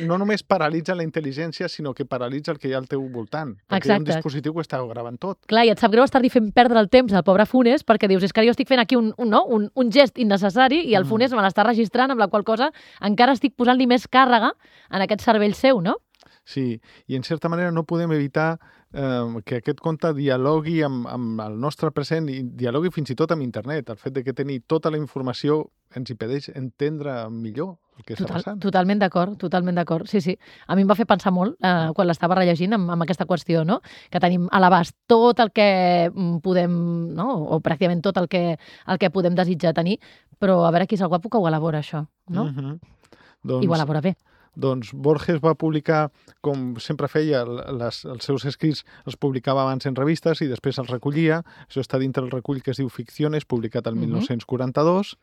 Speaker 1: no només paralitza la intel·ligència, sinó que paralitza el que hi ha al teu voltant. Perquè hi ha un
Speaker 3: Exacte.
Speaker 1: dispositiu que està gravant tot.
Speaker 3: Clar, i et sap greu estar-li fent perdre el temps al pobre Funes perquè dius, és que jo estic fent aquí un, un, no? un, un gest innecessari i el
Speaker 1: Mm.
Speaker 3: Funes me l'està registrant, amb la qual cosa encara estic posant-li més càrrega en aquest cervell seu, no?
Speaker 1: Sí, i en certa manera no podem evitar eh, que aquest conte dialogui amb, amb el nostre present i dialogui fins i tot amb internet. El fet de que tenir tota la informació ens impedeix entendre millor el que està
Speaker 3: Total,
Speaker 1: passant.
Speaker 3: totalment d'acord, totalment d'acord. Sí, sí. A mi em va fer pensar molt eh, quan l'estava rellegint amb, amb aquesta qüestió, no? Que tenim a l'abast tot el que mm, podem, no? O pràcticament tot el que, el que podem desitjar tenir, però a veure qui és el guapo que ho elabora, això, no?
Speaker 1: Uh -huh. doncs,
Speaker 3: I ho elabora bé.
Speaker 1: Doncs Borges va publicar, com sempre feia, les, els seus escrits els publicava abans en revistes i després els recollia. Això està dintre el recull que es diu Ficciones, publicat el
Speaker 3: Mhm.
Speaker 1: mil nou-cents quaranta-dos,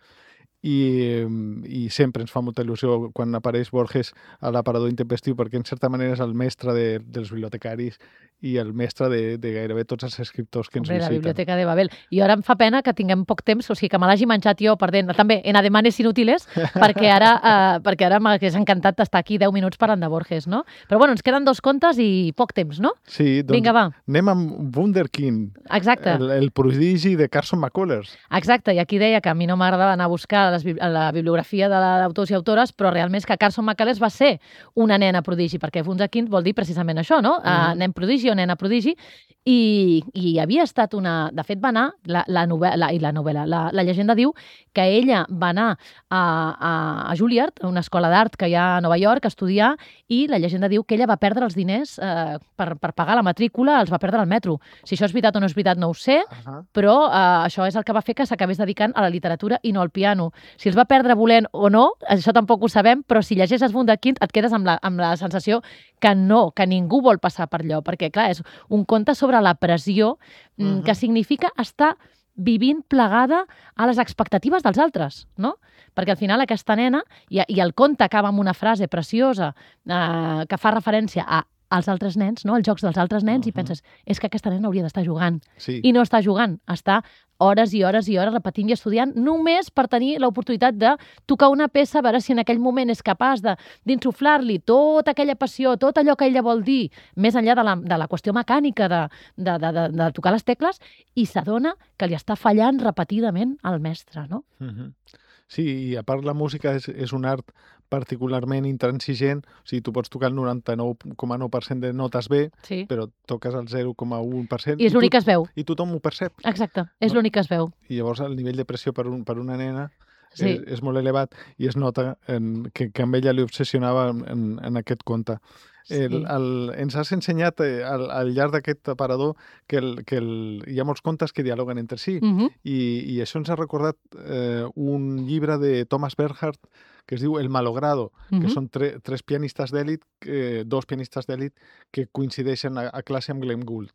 Speaker 1: i, i sempre ens fa molta il·lusió quan apareix Borges a l'aparador intempestiu, perquè en certa manera és el mestre de, dels bibliotecaris i el mestre de, de gairebé tots els escriptors que ens
Speaker 3: Hombre, la
Speaker 1: visiten.
Speaker 3: Biblioteca de Babel. I ara em fa pena que tinguem poc temps, o sigui, que me l'hagi menjat jo perdent, també en ademanes inútiles, perquè ara, eh, perquè ara m'hagués encantat estar aquí deu minuts parlant de Borges, no? Però bueno, ens queden dos contes i poc temps, no?
Speaker 1: Sí, doncs
Speaker 3: Vinga, va.
Speaker 1: anem amb Wunderkind,
Speaker 3: Exacte,
Speaker 1: el, el prodigi de Carson McCullers.
Speaker 3: exacte. I aquí deia que a mi no m'agradava anar a buscar a, les, bib- a la bibliografia majoria de d'autors i autores, però realment és que Carson McCullers va ser una nena prodigi, perquè wunderkind vol dir precisament això, no? Mm. Uh, nen prodigi o nena prodigi, i, i havia estat una... De fet, va anar, la, la novel·la, i la novel·la, la, la llegenda diu que ella va anar a, a, a Juilliard, una escola d'art que hi ha a Nova York, a estudiar, i la llegenda diu que ella va perdre els diners eh, per, per pagar la matrícula, els va perdre al metro. Si això és veritat o no és veritat no ho sé, uh -huh. però eh, això és el que va fer que s'acabés dedicant a la literatura i no al piano. Si els va perdre volent o no, això tampoc ho sabem, però si llegeixes Wunderkind et quedes amb la, amb la sensació que no, que ningú vol passar per allò, perquè, clar, és un conte sobre la pressió uh -huh. que significa estar vivint plegada a les expectatives dels altres, no? Perquè al final aquesta nena, i, i el conte acaba amb una frase preciosa eh, que fa referència a als altres nens, no? Els jocs dels altres nens, uh -huh. i penses, és que aquesta nena hauria d'estar jugant.
Speaker 1: Sí.
Speaker 3: I no està jugant, està hores i hores i hores repetint i estudiant només per tenir l'oportunitat de tocar una peça, a veure si en aquell moment és capaç d'insuflar-li tota aquella passió, tot allò que ella vol dir, més enllà de la, de la qüestió mecànica de, de, de, de, de tocar les tecles, i s'adona que li està fallant repetidament al mestre, no?
Speaker 1: Uh -huh. Sí, i a part la música és, és un art particularment intransigent, o sigui, tu pots tocar el noranta-nou coma nou per cent de notes bé,
Speaker 3: sí.
Speaker 1: però toques el zero coma u per cent...
Speaker 3: I és l'únic que es veu.
Speaker 1: I tothom ho percep.
Speaker 3: Exacte, és
Speaker 1: no?
Speaker 3: l'únic que es veu.
Speaker 1: I llavors el nivell de pressió per, un, per una nena
Speaker 3: sí.
Speaker 1: és, és molt elevat i es nota en, que, que amb ella li obsessionava en, en aquest conte. El, sí. el, ens has ensenyat eh, al, al llarg d'aquest aparador que, el, que el, hi ha molts contes que dialoguen entre si
Speaker 3: uh -huh.
Speaker 1: i, i això ens ha recordat eh, un llibre de Thomas Bernhard que es diu El malogrado, uh -huh. que són tre, tres pianistes d'èlit, eh, dos pianistes d'èlit que coincideixen a, a classe amb Glenn Gould.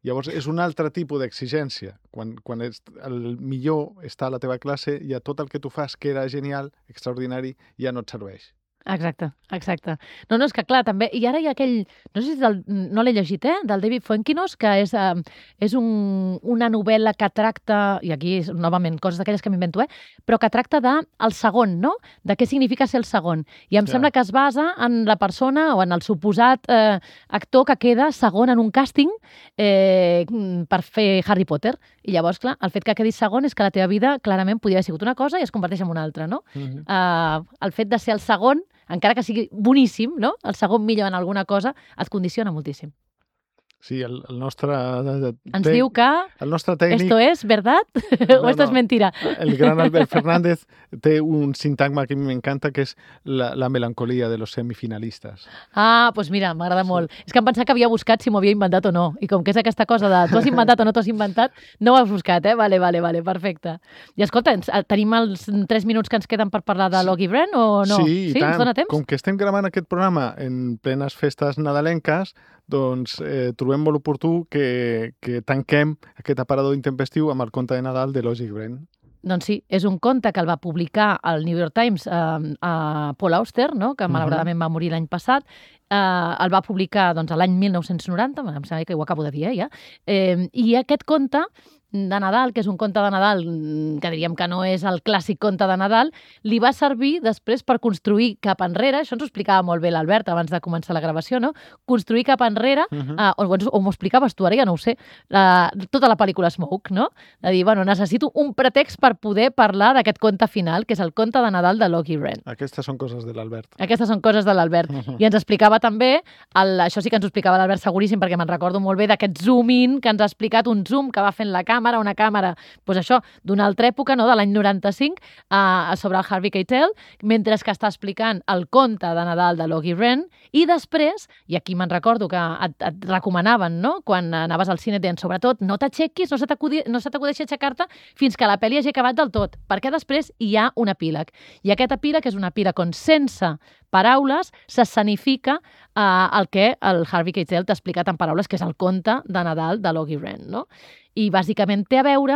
Speaker 1: Llavors, és un altre tipus d'exigència. Quan, quan és, el millor està a la teva classe, ja tot el que tu fas, que era genial, extraordinari, ja no et serveix.
Speaker 3: Exacte, exacte. No, no, és que clar, també... I ara hi ha aquell... No sé si és del, no l'he llegit, eh? Del David Fuenquinos, que és, eh, és un, una novel·la que tracta... I aquí, novament, coses d'aquelles que m'invento, eh? Però que tracta de el segon, no? De què significa ser el segon. I em ja. sembla que es basa en la persona o en el suposat eh, actor que queda segon en un càsting eh, per fer Harry Potter. I llavors, clar, el fet que quedis segon és que la teva vida clarament podia haver sigut una cosa i es converteix en una altra, no? Uh-huh. eh, el fet de ser el segon, encara que sigui boníssim, no? El segon millor en alguna cosa, et condiciona moltíssim.
Speaker 1: Sí, el, el nostre...
Speaker 3: Ens te... diu que
Speaker 1: el nostre tècnic...
Speaker 3: esto es verdad no, o esto no. es mentira.
Speaker 1: El gran Albert Fernández té un sintagma que a mi m'encanta, que és la, la melancolia de los semifinalistes.
Speaker 3: Ah, doncs pues mira, m'agrada sí. molt. És que em pensava que havia buscat si m'ho havia inventat o no. I com que és aquesta cosa de tu has inventat o no t'has inventat, no ho has buscat, eh? Vale, vale, vale, perfecte. I escolta, tenim els tres minuts que ens queden per parlar de Logie Bren o no?
Speaker 1: Sí,
Speaker 3: sí
Speaker 1: i tant.
Speaker 3: Ens dona temps?
Speaker 1: Com que estem gravant aquest programa en plenes festes nadalenques, doncs eh, trobem molt oportú que, que tanquem aquest aparador intempestiu amb el conte de Nadal de Logie Bren.
Speaker 3: Doncs sí, és un conte que el va publicar el New York Times eh, a Paul Auster, no? Que malauradament uh-huh. va morir l'any passat. Eh, el va publicar doncs, l'any mil nou-cents noranta, em sembla que ho acabo de dir, eh, ja. Eh, I aquest conte de Nadal, que és un conte de Nadal que diríem que no és el clàssic conte de Nadal, li va servir després per construir cap enrere, això ens ho explicava molt bé l'Albert abans de començar la gravació, no? Construir cap enrere, uh-huh. eh, o, o m'ho explicaves tu, ara ja no ho sé, la, tota la pel·lícula Smoke, no? De dir, bueno, necessito un pretext per poder parlar d'aquest conte final, que és el conte de Nadal de Logie Bren.
Speaker 1: Aquestes són coses de l'Albert.
Speaker 3: Aquestes són coses de l'Albert. Uh-huh. I ens explicava també, el, això sí que ens ho explicava l'Albert seguríssim, perquè me'n recordo molt bé d'aquest zoom-in que ens ha explicat, un zoom que va fent la càmera, una càmera, doncs això, d'una altra època, no? De l'any noranta-cinc, eh, sobre el Harvey Keitel, mentre que està explicant el conte de Nadal de Logie Bren, i després, i aquí me'n recordo que et, et recomanaven, no? Quan anaves al cine, deien, sobretot, no t'aixequis, no se t'acudeixi aixecar-te fins que la pel·li hagi acabat del tot, perquè després hi ha un epíleg. I aquest epíleg és un epíleg on, sense paraules, s'escenifica eh, el que el Harvey Keitel t'ha explicat en paraules, que és el conte de Nadal de Logie Bren, no? I bàsicament té a veure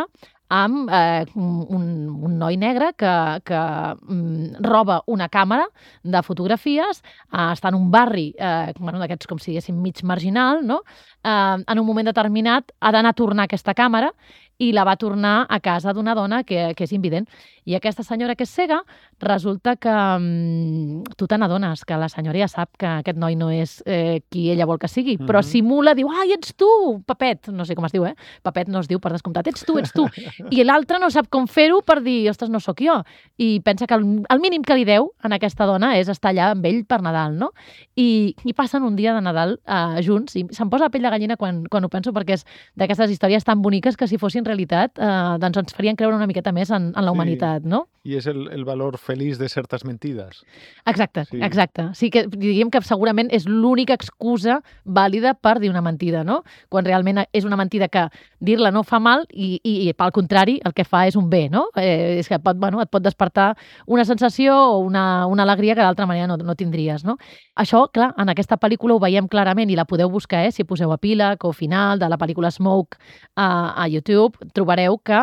Speaker 3: amb eh, un, un noi negre que, que mm, roba una càmera de fotografies, eh, està en un barri, eh, bueno, d'aquests com si diguéssim mig marginal, no? Eh, en un moment determinat ha d'anar a tornar aquesta càmera i la va tornar a casa d'una dona que, que és invident. I aquesta senyora que és cega, resulta que um, tu te n'adones que la senyora ja sap que aquest noi no és eh, qui ella vol que sigui, mm-hmm. però simula, diu, ai, ets tu, Pepet, no sé com es diu, eh? Pepet no es diu per descomptat, ets tu, ets tu. I l'altre no sap com fer-ho per dir, ostres, no sóc jo. I pensa que el, el mínim que li deu a aquesta dona és estar allà amb ell per Nadal, no? I, i passen un dia de Nadal eh, junts, i se'm posa la pell de gallina quan, quan ho penso, perquè és d'aquestes històries tan boniques que si fossin realitat eh, doncs ens farien creure una miqueta més en, en la humanitat, sí. no?
Speaker 1: I és el, el valor feliç de certes mentides.
Speaker 3: Exacte, sí. exacte. Sí que diríem que segurament és l'única excusa vàlida per dir una mentida, no? Quan realment és una mentida que dir-la no fa mal i, i, i pel contrari, el que fa és un bé, no? Eh, és que pot, bueno, et pot despertar una sensació o una, una alegria que d'altra manera no, no tindries, no? Això, clar, en aquesta pel·lícula ho veiem clarament i la podeu buscar, eh? Si poseu epíleg o final de la pel·lícula Smoke a, a YouTube, trobareu que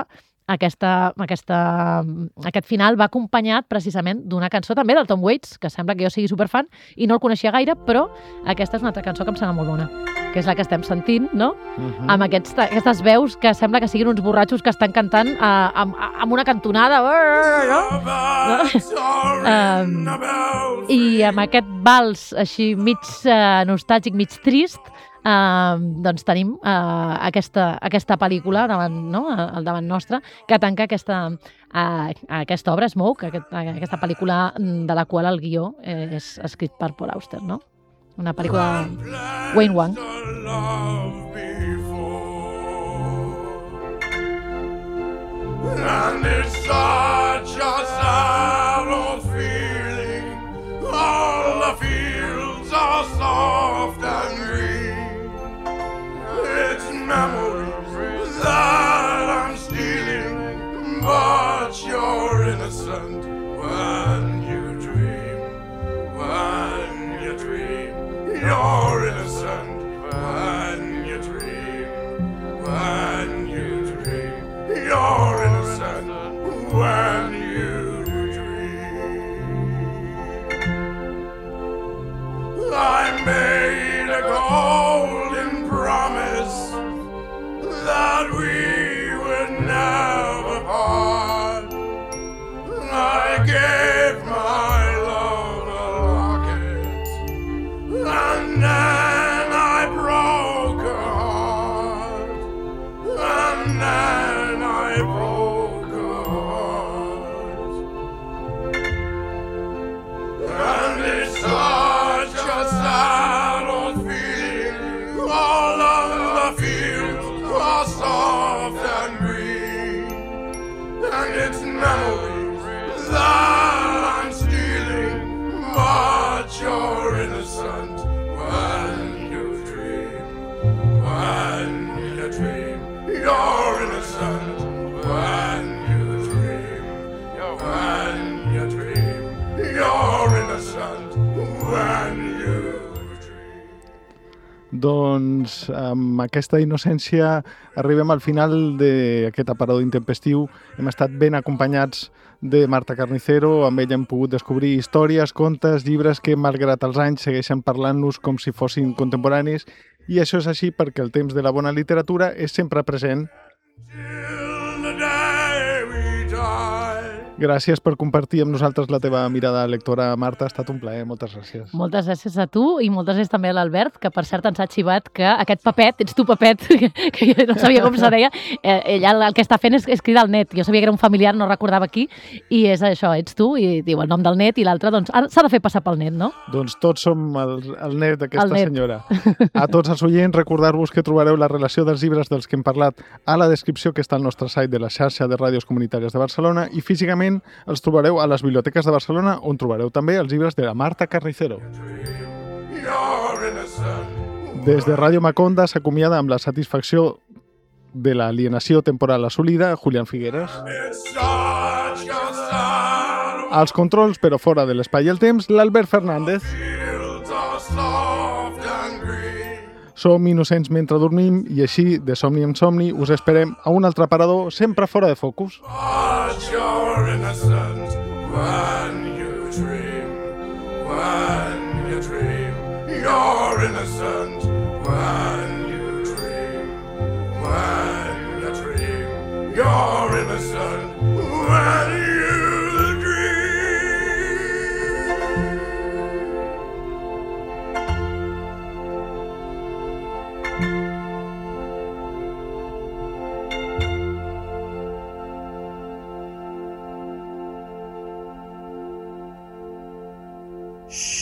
Speaker 3: Aquesta, aquesta, aquest final va acompanyat precisament d'una cançó també del Tom Waits, que sembla que jo sigui superfan i no el coneixia gaire, però aquesta és una altra cançó que em sembla molt bona, que és la que estem sentint, no? Uh-huh. Amb aquests, aquestes veus que sembla que siguin uns borratxos que estan cantant uh, amb, amb una cantonada, no? um, I amb aquest vals així mig uh, nostàlgic, mig trist, Uh, doncs tenim uh, aquesta, aquesta pel·lícula davant, no? al davant nostre que tanca aquesta, uh, aquesta obra, Smoke, aquest, aquesta pel·lícula de la qual el guió eh, és escrit per Paul Auster, no? Una pel·lícula Wayne Wang. And it's such a sad old feeling, all the fields are soft and green. It's memories that I'm stealing, but you're innocent when you dream, when you dream. You're innocent when you dream, when you dream. You're innocent when you dream. I made a golden promise that we would never part. I gave my love a locket, and then I broke her heart, and then I broke her heart. And it's such a sad old feeling, all of the fields are soft and green, and it's memories that I'm stealing, but you're innocent when you dream, when you dream. You're innocent when you dream, when you dream. You're innocent when you dream. Doncs amb aquesta innocència arribem al final d'aquest aparador intempestiu. Hem estat ben acompanyats de Marta Carnicero, amb ella hem pogut descobrir històries, contes, llibres que malgrat els anys segueixen parlant-nos com si fossin contemporanis, i això és així perquè el temps de la bona literatura és sempre present. Gràcies per compartir amb nosaltres la teva mirada lectora, Marta. Ha estat un plaer. Moltes gràcies. Moltes gràcies a tu i moltes gràcies també a l'Albert, que per cert ens ha xivat que aquest Pepet, ets tu Pepet, que jo no sabia com se deia, eh, ella el que està fent és, és cridar el net. Jo sabia que era un familiar, no recordava qui, i és això, ets tu, i diu el nom del net, i l'altre, doncs, s'ha de fer passar pel net, no?
Speaker 1: Doncs tots som el, el net d'aquesta senyora. A tots els oients, recordar-vos que trobareu la relació dels llibres dels que hem parlat a la descripció que està al nostre site de la xarxa de ràdios comunitàries de Barcelona, i físicament els trobareu a les biblioteques de Barcelona, on trobareu també els llibres de la Marta Carnicero. Des de Ràdio Maconda s'acomiada amb la satisfacció de l'alienació temporal assolida Julián Figueres. Als controls, però fora de l'espai i el temps, l'Albert Fernández. Som innocents mentre dormim i així, de somni en somni, us esperem a un altre aparador sempre fora de focus. But you're innocent when you dream, when you dream. You're innocent when you dream, when you dream.
Speaker 4: Shh.